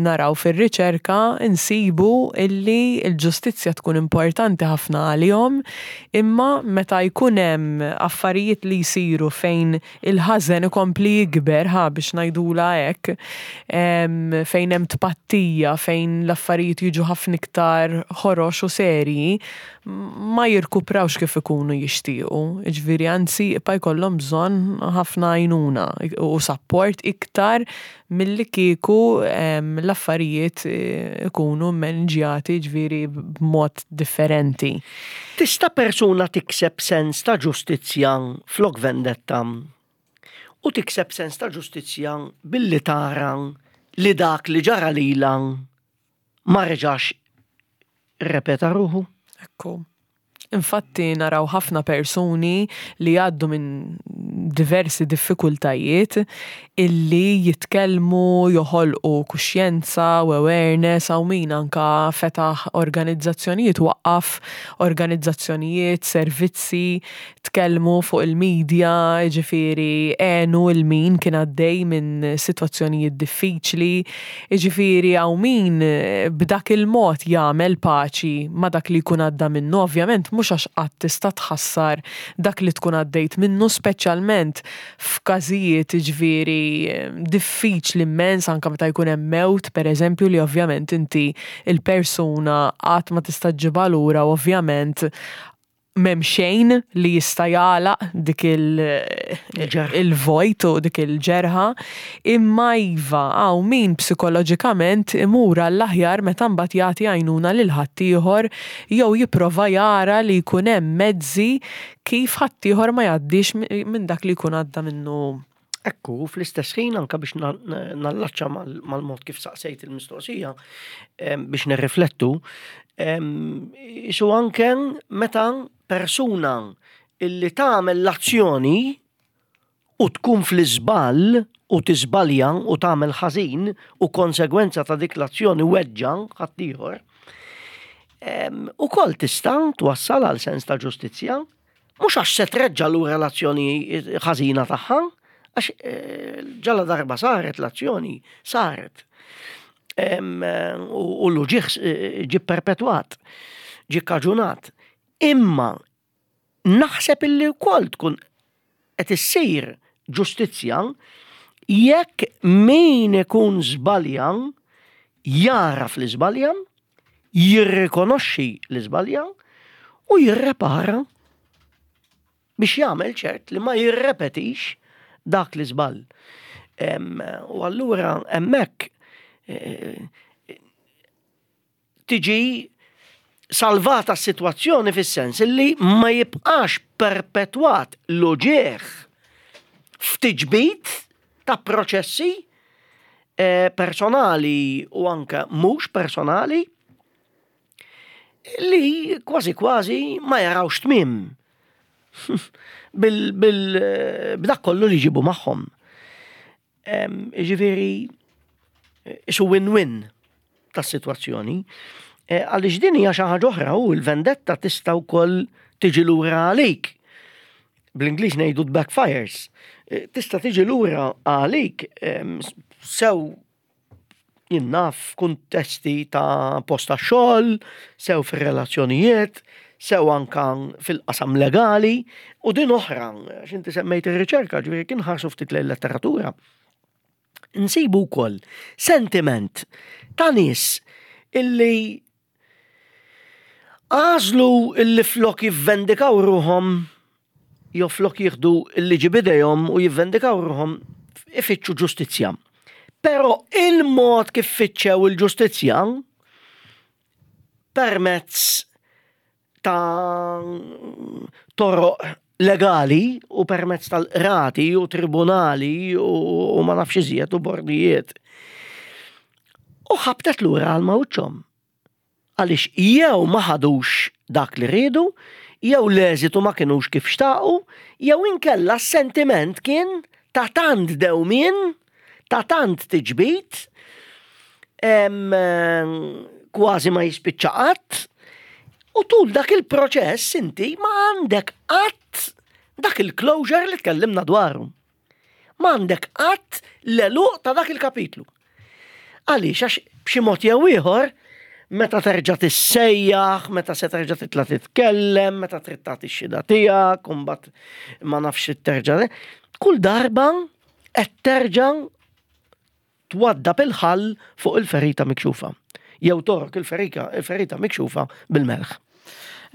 naraw fir-riċerka insibu illi l-ġustizzja tkun importanti ħafna għalihom, imma meta jkun hemm affarijiet li jsiru fejn il-ħażen ikompli jikber, ħa biex ngħidula hekk, em, fejn hemm tpattija, fejn l-affarijiet jiġu ħafna iktar ħorox u serji, ma jirkuprawx kif ikunu jixtiequ. Ġifieri anzi jibqa' jkollhom bżonn ħafna għajnuna u support iktar milli kieku em, l-affarijiet eh, ikunu mmanġjati ġifieri b'mod differenti. Tista' persuna tikseb sens ta' ġustizzja flok vendetta u tikseb sens ta' ġustizzja billi tara li dak li ġara lila ma reġax rrepeta ruħu? Ekku. Infatti naraw ħafna persuni li għaddu minn diversi diffikultajiet illi jitkellmu, joħolqu kuxjenza u awareness, hawn min anka fetaħ organizzazzjonijiet, waqqaf organizzazzjonijiet, servizzi, tkellmu fuq il-medja, ġifieri għenu lil min kien għaddej minn sitwazzjonijiet diffiċli, ġifieri hawn min b'dak il-mod jagħmel paċi ma' dak li jkun għadda minnu, ovvjament mhux għax qatt tista' tħassar dak li tkun għaddejt minnu, speċjalment f'każijiet ġifieri diffiċli immens, anka meta jkun hemm mewt, per eżempju, li ovvjament inti il-persuna qatt ma tista' ġġibha lura, ovvjament m'hemm xejn li jista' jagħlaq dik il- Il-ġerħa. il-vojt u dik il-ġerħa, imma iva hawn min psikoloġikament imur għall-aħjar meta mbagħad jagħti għajnuna lil ħaddieħor jew jipprova jara li jkun hemm mezzi kif ħaddieħor ma jgħaddix mi- minn dak li jkun għadda minnu. Ekku, fl-istess ħin anka biex na- na- nallaċċa mal- mal-mod kif saqsejt il-mistoqsija, em, biex nirriflettu, em, isu anke meta persuna illi tagħmel l-azzjoni u tkun fl-iżball u tiżbalja u tagħmel ħażin u konsegwenza ta' dik l-azzjoni weġġa ħaddieħor, em, ukoll tista' twassal għal sens ta' ġustizzja, mhux għax se treġġa' lura l-azzjoni ħażina tagħha, għax eh, ġala darba saret l-azzjoni, saret. Em, eh, U u l-uġigħ eh, ġi perpetwat, ġi kaġunat. Imma naħseb illi wkoll tkun qed issir ġustizzja jekk min ikun żbalja jaraf li żbalja, jirrikonoxxi li żbalja u jirrepara biex jagħmel ċert li ma jirrepetix dak li żball. Em, U allura hemmhekk eh, tiġi salvata s-sitwazzjoni fis-sens li ma jibqax perpetwat l-uġigħ f'tiġbid ta' proċessi eh, personali u anke mhux personali li kważi kważi ma jarawx tmiem bil, bil, b'dak kollu li ġibu magħhom. Em, Ġifieri, isu win-win tas-sitwazzjoni. Eh, Għaliex din hija xi ħaġa oħra u l-vendetta tista' wkoll tiġi lura għalik. Bl-Ingliż ngħidu backfires. Eh, Tista' tiġi lura għalik em, sew jien naf kuntesti ta' post ta' xogħol, sew fir-relazzjonijiet, Sew anka fil-qasam legali, u din oħra, għax inti semmejt ir-riċerka, ġifieri kien ħarsu ftit lejn letteratura. Nsibu wkoll sentiment ta' nies illi għażlu illi flok jivvendikaw ruħhom jew flok jieħdu il-liġi b'idejhom u jivvendikaw ruħhom, ifittxu ġustizzja. Però il-mod kif fittxew il-ġustizzja permezz ta' toroq legali u permezz tal-qrati u tribunali u, u ma nafx iżjed u bordijiet. U ħabtet lura għal mawċhom. Għaliex jew ma ħadux dak li riedu, jew l-eżitu ma kienux kif xtaqu, jew inkella s-sentiment kien ta' tant dewmien, ta' tant tiġbid, em, kważi ma jispiċċa qatt, u tul dak il-proċess inti ma għandek qatt dak il-closure li tkellimna dwaru. Ma għandek qatt l-għeluq ta' dak il-kapitlu. Għaliex, għax b'xi mod jew ieħor, meta terġa' tissejjaħ, meta se terġa' titla' titkellem, meta trid tagħti x-xhieda tiegħek, u mbagħad ma nafx terġa'. Kull darba qed terġa' twaddab il-ħall fuq il-ferita mikxufa. Jew togħrok il-ferika, il-ferita mikxufa bil-melħ.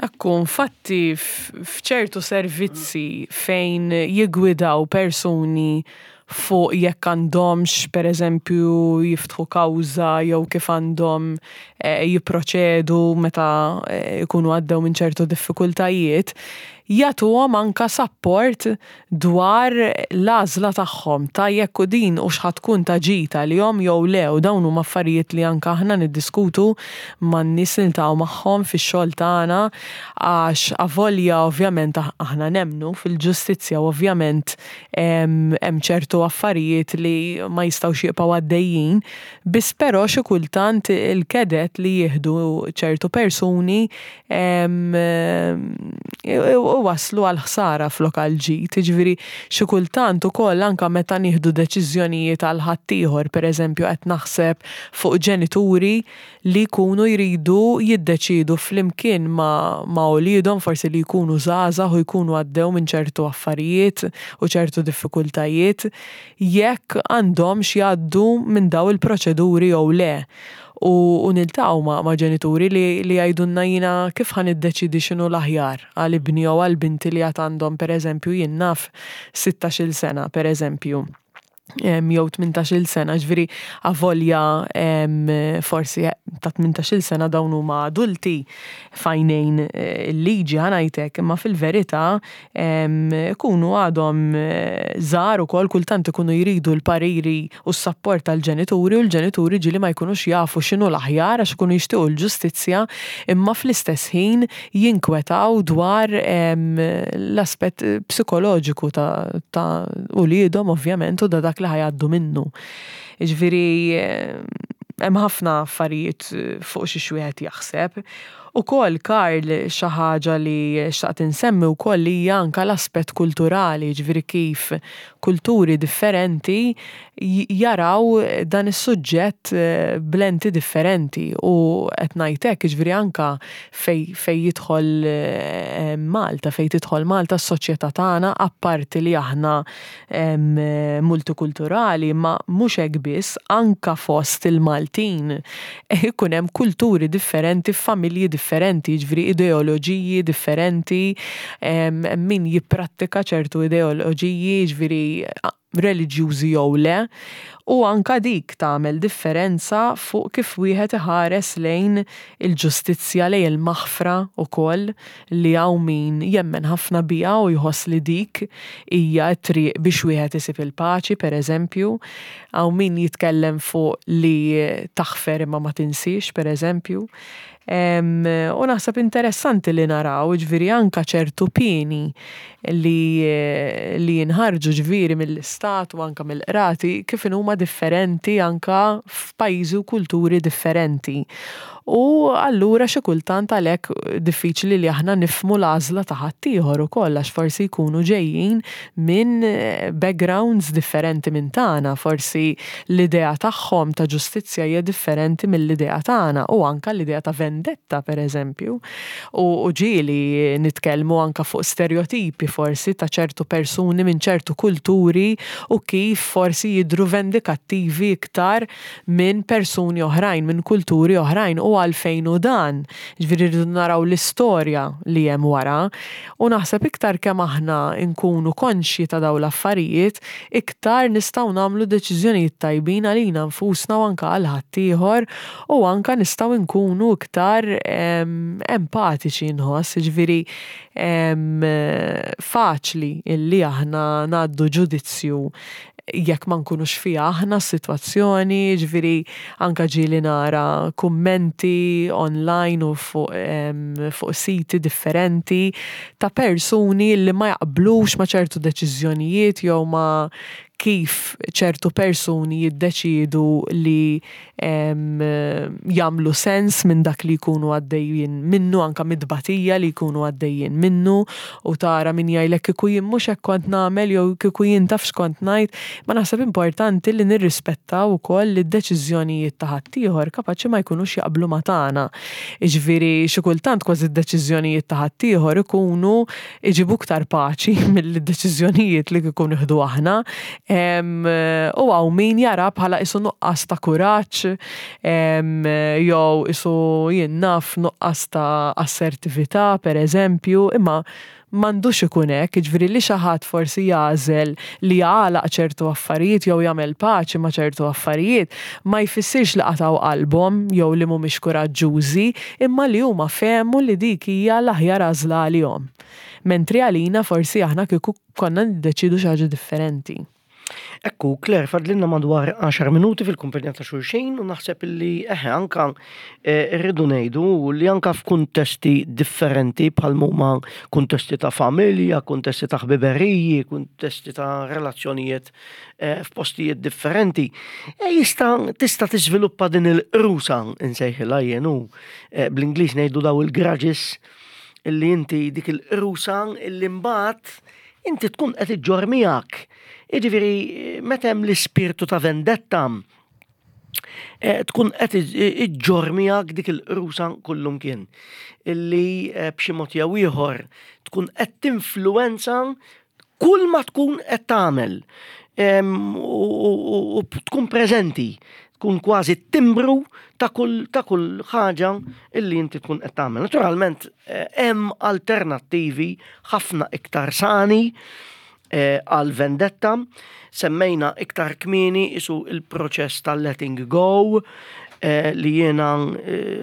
Ekku, infatti f'ċertu servizzi fejn jigwidaw persuni fuq jekk għandhomx, per eżempju, jiftħu kawża jew kif għandhom eh, jipproċedu meta eh, ikunu għaddew minn ċertu diffikultajiet, jagħtuhom anka support dwar l-għażla tagħhom ta' jekk u din u x'ħa tkun ta' ġid għalihom jew le. U dawn huma affarijiet li anka aħna niddiskutu man-nies li niltaqgħu magħhom fix-xogħol tagħna, għax avolja ovvjament aħna nemmnu fil-ġustizzja u ovvjament hemm ċertu affarijiet li ma jistgħux jibqgħu għaddejjin, biss però xi kultant il-kedet li jieħdu ċertu persuni waslu għal ħsara flok għal ġid. Ġifieri xi kultant ukoll anka meta nieħdu deċiżjonijiet għal ħaddieħor, pereżempju qed naħseb fuq ġenituri li jkunu jridu jiddeċidu flimkien ma', ma' uliedhom, forsi li jkunu żgħażagħ u jkunu għaddew minn ċertu affarijiet u ċertu diffikultajiet, jekk għandhomx jgħaddu minn daw il-proċeduri jew le. U, u niltaqgħu ma', ma' ġenituri li, li jgħidulna: "Jiena kif ħa niddeċidi x'inhu l-aħjar għal ibni jew għal binti li għad għandhom, pereżempju, jien naf, sittax-il sena, pereżempju, jew tmintax-il sena?" Ġifieri avolja forsi ta' tmintax-il sena dawn huma adulti f'għajnejn eh, il-liġi, ħa ngħidlek, imma fil-verità ikunu għadhom eh, żgħar ukoll, kultant ikunu jridu l-pariri u s-sapport tal-ġenituri, u l-ġenituri ġieli ma jkunux jafu x'inhu l-aħjar għax ikunu jixtiequ l-ġustizzja, imma fl-istess ħin jinkwetaw dwar l-aspett psikoloġiku ta', ta uliedhom ovvjament u da dak li ħa jgħaddu minnu. Ġifieri hemm ħafna affarijiet fuq xi wieħed jaħseb. Ukoll, Karl, xi ħaġa li xtaqt insemmi wkoll hija anka l-aspett kulturali, ġifieri kif kulturi differenti jaraw dan is-suġġett eh, b'lenti differenti. U qed ngħid hekk, ġifieri anka fej, fej jidħol eh, Malta, fej tidħol Malta, s-soċjetà tagħna, apparti li aħna multikulturali, ma mhux hekk biss, anka fost il-Maltin ikun hemm kulturi differenti, familji differenti, ġifieri ideoloġiji differenti, min jipprattika ċertu ideoloġiji, ġifieri reliġjużi jew le, u anka dik tagħmel differenza fuq kif wieħed iħares lejn il-ġustizzja, lejn il-maħfra ukoll, li hawn min jemmen ħafna biha u jħoss li dik hija t-triq biex wieħed isib il-paċi, pereżempju. Hawn min jitkellem fuq li taħfer imma ma tinsiex, pereżempju. U naħseb interessanti li naraw, ġifieri anka ċertu pieni li, li jinħarġu, ġifieri mill-istat u anka mill-qrati, kif huma differenti anka f'pajjiżi u kulturi differenti. U allura xi kultant għalhekk diffiċli li aħna nifhmu l-għażla ta' ħaddieħor ukoll, għax forsi jkunu ġejjin minn backgrounds differenti minn tagħna, forsi l-idea tagħhom ta' ġustizzja hija differenti mill-idea tagħna u anka l-idea ta' vendetta. vendetta, per eżempju. U ġieli nitkellmu anka fuq stereotipi forsi ta' ċertu persuni minn ċertu kulturi u kif forsi jidru vendikattivi iktar minn persuni oħrajn, minn kulturi oħrajn, u għalfejn u dan. Ġifieri rridu naraw l-istorja li hemm wara, u naħseb iktar kemm aħna nkunu konxji ta' dawn l-affarijiet, iktar nistgħu nagħmlu deċiżjonijiet tajbin għalina nfusna u anka għal ħaddieħor, u anka nistgħu nkunu iktar empatiċi, nħoss, ġifieri faċli illi aħna ngħaddu ġudizzju jekk ma nkunux fiha aħna s-sitwazzjoni, ġifieri anka ġieli nara kummenti online u fuq, fuq siti differenti ta' persuni li ma jaqblux ma' ċertu deċiżjonijiet jew ma' kif ċertu persuni jiddeċidu li jagħmlu sens minn dak li jkunu għaddejjin minnu, anka mid-tbatija li jkunu għaddejjin minnu, u tara min jgħidlek "kieku jien mhux hekk kont nagħmel" jew "kieku jien taf x'kont ngħid". Ma naħseb importanti li nirrispettaw ukoll li d-deċiżjonijiet ta' ħaddieħor kapaċi ma jkunux jaqblu ma' tagħna. Jiġifieri xi kultant kważi d-deċiżjonijiet ta' ħaddieħor ikunu iġibu iktar paċi mill-deċiżjonijiet li kieku nieħdu aħna. U hawn min jara bħala isu nuqqas ta' kuraġġ, jew isu, jien naf, nuqqas ta' assertività, per eżempju, imma m'għandux ikun hekk, jiġifieri li xi ħadd forsi jagħżel li jagħlaq ċertu affarijiet jew jagħmel paċi ma' ċertu affarijiet, ma jfissirx li qatgħu qalbhom jew li mhumiex kuraġġużi, imma li huma fehmu li dik hija l-aħjar għażla għalihom. Mentri għalina forsi aħna kieku konna niddeċidu xi ħaġa differenti. Ekku, Claire, fadlilna madwar għaxar minuti fil-kumpanija ta' xulxin u naħseb illi eħe anka eh, rridu ngħidu li anka f'kuntesti differenti bħal huma kuntesti ta' familja, kuntesti ta' ħbiberiji, kuntesti ta' relazzjonijiet eh, f'postijiet differenti, e jista' tista' tiżviluppa din il-qrusa, insejħilha jien u eh, bl-Ingliż ngħidu daw il-grudges, illi inti dik il-qrusa illi mbagħad inti tkun qed iġġorr miegħek. Jiġifieri meta hemm l-ispirtu ta' vendetta, eh, tkun qed iġġorr miegħek dik il-qrusa kullumkien illi eh, b'xi mod jew ieħor tkun qed tinfluwenza kull ma tkun qed tagħmel u tkun preżenti, tkun kważi timbru ta' kull ta' kull ħaġa illi inti tkun qed tagħmel. Naturalment eh, hemm alternattivi ħafna iktar sani eh, għal vendetta. Semmejna iktar kmieni isu il-proċess tal-letting go, eh, li jiena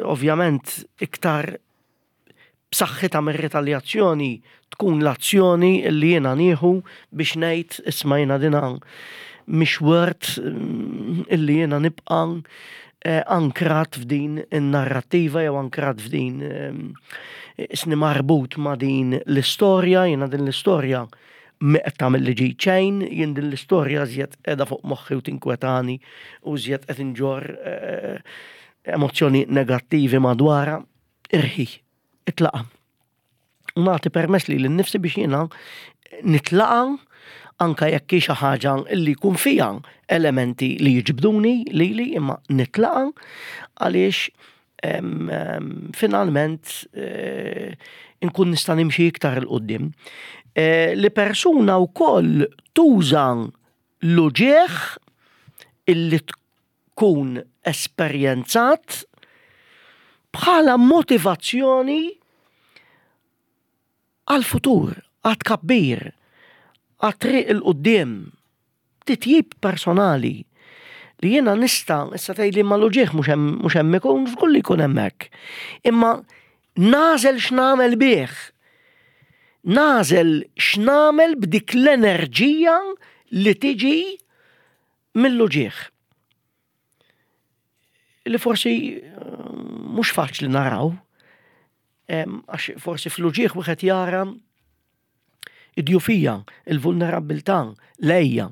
ovvjament iktar b'saħħitha mir-retaljazzjoni tkun l-azzjoni li jiena nieħu biex ngħid, "Isma', jiena dina mhix worth mm, illi jiena nibqa' eh, ankrat f'din in-narrattiva jew ankrat f'din eh, isni marbut ma' din l-istorja, jiena din l-istorja mi qed tagħmel li ġid xejn, jien din l-istorja żjed qiegħda fuq moħħi u tinkwetani u żjed qed inġorr eh, emozzjoni negattivi madwarha, irħi, itlaqa'." U nagħti permess lili nnifsi biex jiena nitlaqa, anka jekk hi xi ħaġa li jkun fiha elementi li jiġbduni lili, imma nitlaqa għaliex em, em, finalment eh, inkun nista' nimxi iktar 'il quddiem. Eh, li persuna wkoll tuża l-uġieħ illi tkun esperjenzat bħala motivazzjoni għal-futur, għat-tkabbir, għat-triq 'il quddiem, titjib personali li jiena nista', issa tgħidli, "Ma l-uġieħ mhux hemm ikun", żgur li jkun hemmhekk. Imma nagħżel x'nagħmel bih. Nagħżel x'nagħmel b'dik l-enerġija li tiġi mill-uġieħ. Li forsi eh, mhux faċli naraw, għax forsi fl-uġieħ wieħed jara id-djufija, il-vulnerabbiltà, l-għeja.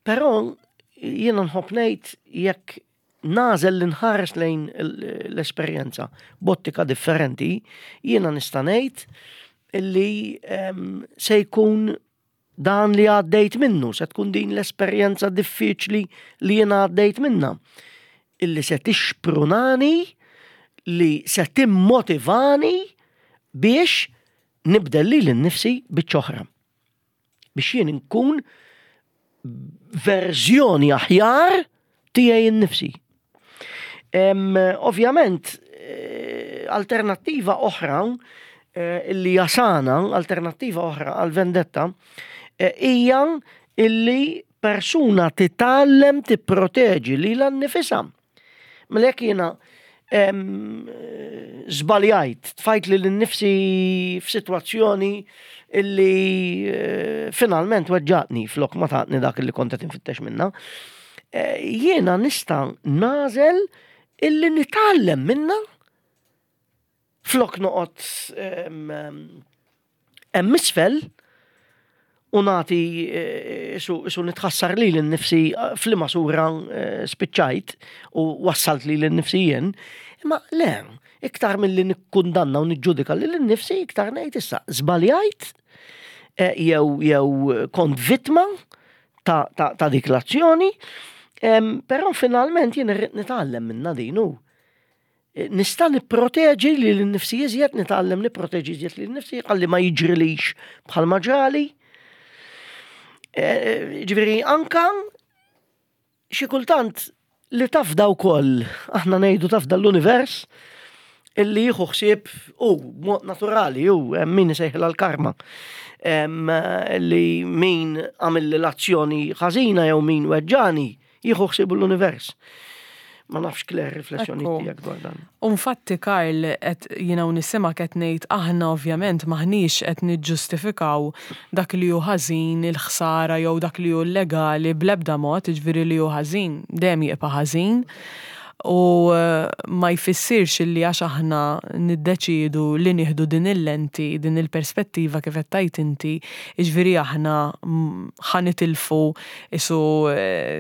Però jiena nħobb ngħid, jekk nagħżel li nħares lejn l-esperjenza b'ottika differenti, jiena nista' ngħid illi se jkun dan li għaddejt minnu, se tkun din l-esperjenza diffiċli li jiena għaddejt minna, illi se tixprunani li se timmotivani biex nibdel lili nnifsi biċċa oħra. Biex jien nkun verżjoni aħjar tiegħi nnifsi. Ovvjament, eh, alternattiva oħra eh, illi jasana, alternattiva oħra għal vendetta, eh, hija illi persuna titgħallem tipproteġi lilha nnifisha. Mela jekk jiena żbaljajt, tfajt lili nnifsi f'sitwazzjoni illi finalment weġġatni flok ma tatni dak illi kont qed infittex minna. Jiena nista' nagħżel illi nitgħallem minna flok noqgħod hemm isfel u nagħti su nitħassar lili nnifsi f'liema sura spiċċajt u wassalt lili nnifsi jien. Imma le, iktar milli nikkundanna u niġġudika lili nnifsi, iktar ngħid issa żbaljajt jew jew kont vittma ta', ta, ta dik l-azzjoni, però finalment jien irrid nitgħallem minna din u nista' nipproteġi lili nnifsi iżjed, nitgħallem nipproteġi iżjed lili nnifsi, ħalli ma jiġrilix bħalma ġrali. Ġifieri anka xi kultant li tafda wkoll, aħna ngħidu tafda l-univers, illi jieħu ħsieb u mod naturali u min isejħilha l-karma. Li min għamel l-azzjoni ħażina jew min weġġani jieħu ħsieb l-univers. Ma nafx, Claire, riflessjoni tiegħek dwar dan. Infatti, Karl, qed jiena u nisima qed ngħid aħna ovvjament maħniex qed niġġustifikaw dak li hu ħażin, il-ħsara jew dak li hu illegali bl-ebda mod, jiġifieri li hu ħażin dejjem jibqa' ħażin. U ma jfissirx li għax aħna niddeċidu li nieħdu din il-lenti, din il-perspettiva kif qed tgħid inti, jiġifieri aħna ħa nitilfu isu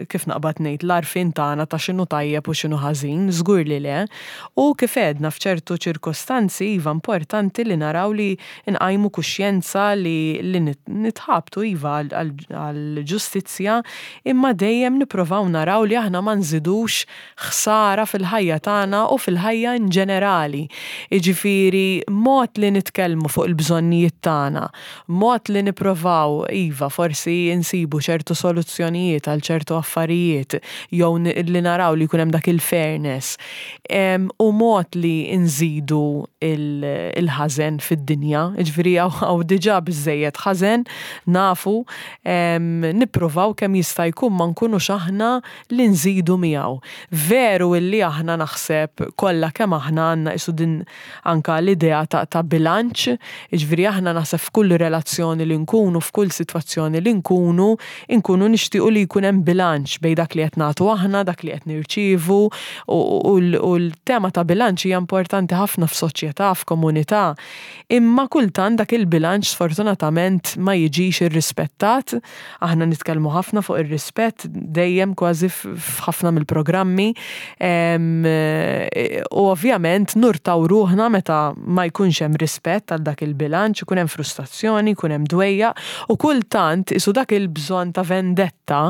kif naqbad ngħid l-għarfien tagħna ta' x'inhu tajjeb u x'inhu ħażin, żgur li le. U kif għedna f'ċertu ċirkostanzi iva importanti li naraw li nqajmu kuxjenza li, li nitħabtu iva għall-ġustizzja, imma dejjem nipprovaw naraw li aħna ma nżidux ħsara fil-ħajja tagħna u fil-ħajja in ġenerali. Jiġifieri mod li nitkellmu fuq il-bżonnijiet tagħna, mod li nipprovaw iva forsi insibu ċertu soluzzjonijiet għal ċertu affarijiet jew li naraw li jkun hemm dak il-fairness. U mod li nżidu il-ħażen fid-dinja, jiġifieri hawn diġà biżejjed ħażen nafu, nippruvaw kemm jista' jkun ma nkunux aħna li nżidu miegħu. Veru illi aħna naħseb kollha kemm aħna għandna isu din anka l-idea ta', ta' bilanċ, jiġifieri aħna naħseb f'kull relazzjoni li nkunu, f'kull sitwazzjoni li nkunu, nkunu nixtiequ li jkun hemm bilanċ bejn dak li qed nagħtu aħna, dak li qed nirċievu, u l-tema ta' bilanċ hija importanti ħafna f'soċjetà, f'komunità. Imma kultant dak il-bilanċ sfortunatament ma jiġix irrispettat. Aħna nitkellmu ħafna fuq ir-rispett dejjem kważi f'ħafna mill-programmi. U ovvjament nurtaw ruħna meta ma jkunx hemm rispett għal dak il-bilanċ, ikun hemm frustrazzjoni, ikun hemm dwejja, u kultant isu dak il-bżonn ta' vendetta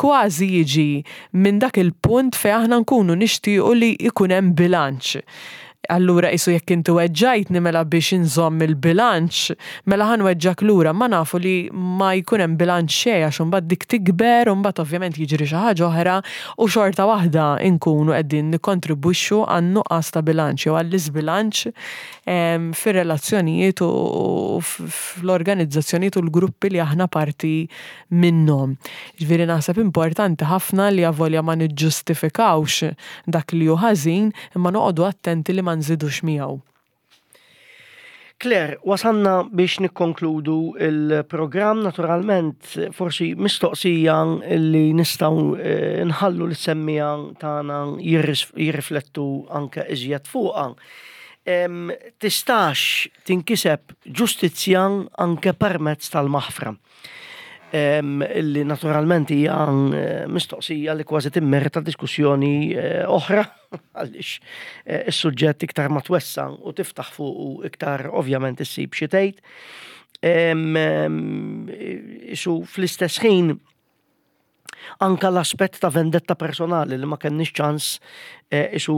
kważi jiġi minn dak il-punt fejn aħna nkunu nixtiequ li jkun hemm bilanċ. Allura isu jekk inti weġġajtni mela biex inżomm il-bilanċ, mela ħa nweġġak lura, ma nafu li ma jkun hemm bilanċ xejn għax imbagħad dik tikber u mbagħad ovvjament jiġri xi ħaġa oħra u xorta waħda nkunu qegħdin nikkontribwixxu għan-nuqqas ta' bilanċ jew għall-iżbilanċ fir-relazzjonijiet u fl-organizzazzjonijiet u l-gruppi li aħna parti minnhom. Ġifieri naħseb importanti ħafna li avolja ma niġġustifikawx dak li hu ħażin, imma noqogħdu attenti li ma nżidux miegħu. Claire, wasanna biex nikkonkludu il-programm, naturalment forsi mistoqsija li nistgħu nħallu lis-semmiegħa tagħna jirriflettu anke iżjed fuqha. Tistax tinkiseb ġustizzja anke permezz tal-maħfra? Illi naturalment hija mistoqsija li kważi timmerita diskussjoni oħra, għaliex is-suġġett iktar ma twessa u tiftaħ fuq u iktar ovvjament issib xi tgħid. Isu fl-istess ħin Anka l-aspett ta' vendetta personali li ma kenniex ċans eh, isu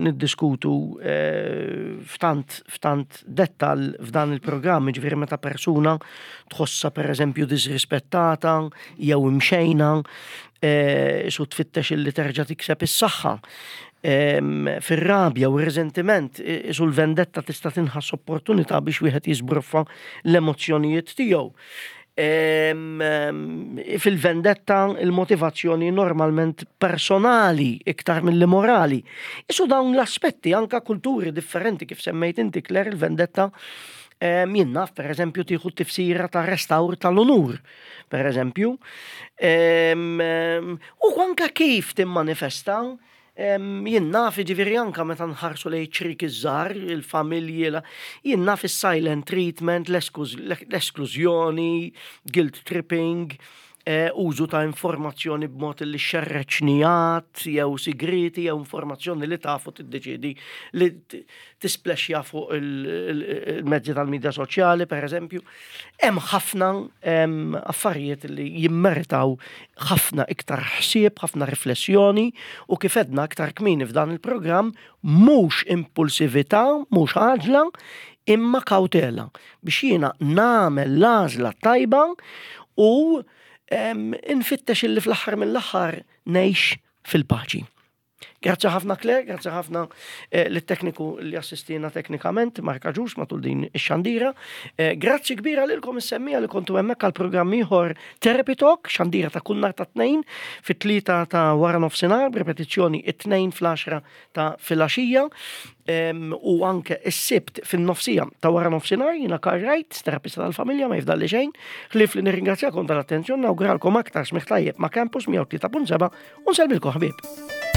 niddiskutu eh, f'tant f'tant dettal f'dan il-programm, ġifieri meta persuna tħossa, per eżempju, disrispettata jew imxejna, eh, isu tfittex illi terġa' tikseb is-saħħa. Fir-rabja u r-reżentiment, isu l-vendetta tista' tinħass opportunità biex wieħed jiżbroffa l-emozzjonijiet tiegħu. Fil-vendetta il-motivazzjoni normalment personali iktar mill morali. Isu dawn l-aspetti, anka kulturi differenti, kif semmejt inti, Claire, il-vendetta jien naf, per eżempju, tieħu tifsira ta' restawr tal-onur, per eżempju. U anka kif timmanifesta, jien naf, ġifieri anka meta nħarsu lejn ċrieki żgħar, il-familji, jien naf, il-silent treatment, l-esklużjoni, guilt tripping, eh, użu ta' informazzjoni b'mod li xerred xnigħat, jew sigriti, jew informazzjoni li tafu tiddeċidi li tisplexja fuq il-mezzi tal-medja soċjali, per eżempju. Hemm ħafna affarijiet li jimmeritaw ħafna iktar ħsieb, ħafna riflessjoni u, kif għedna aktar kmieni f'dan il-programm, mhux impulsività, mhux għaġla, imma kawtela biex jiena nagħmel l-għażla tajba u infittex illi fl-aħħar mill-aħħar ngħix fil-paċi. Grazzi ħafna, Claire, grazzi ħafna eh, lit-tekniku li assistina teknikament, Marka Ġus, matul din ix-xandira. Eh, grazzi kbira lilkom is-semmiegħa li kontu hemmhekk għal programm ieħor Therapy Talk, xandira ta' kull nhar ta' Tnejn fit-tlieta ta' wara nofsinhar, b'repetizzjoni it-Tnejn fl-għaxra ta' filgħaxija u anke is-Sibt fin-nofsija ta' wara nofsinhar. Jiena Karl Wright, terapista tal-familja, ma jifdalli xejn ħlief li nirringrazzjakom tal-attenzjoni, nawguralkom aktar smigħ tajjeb ma' Campus mija u tlieta punt seba' u nsellmilkom, ħbieb.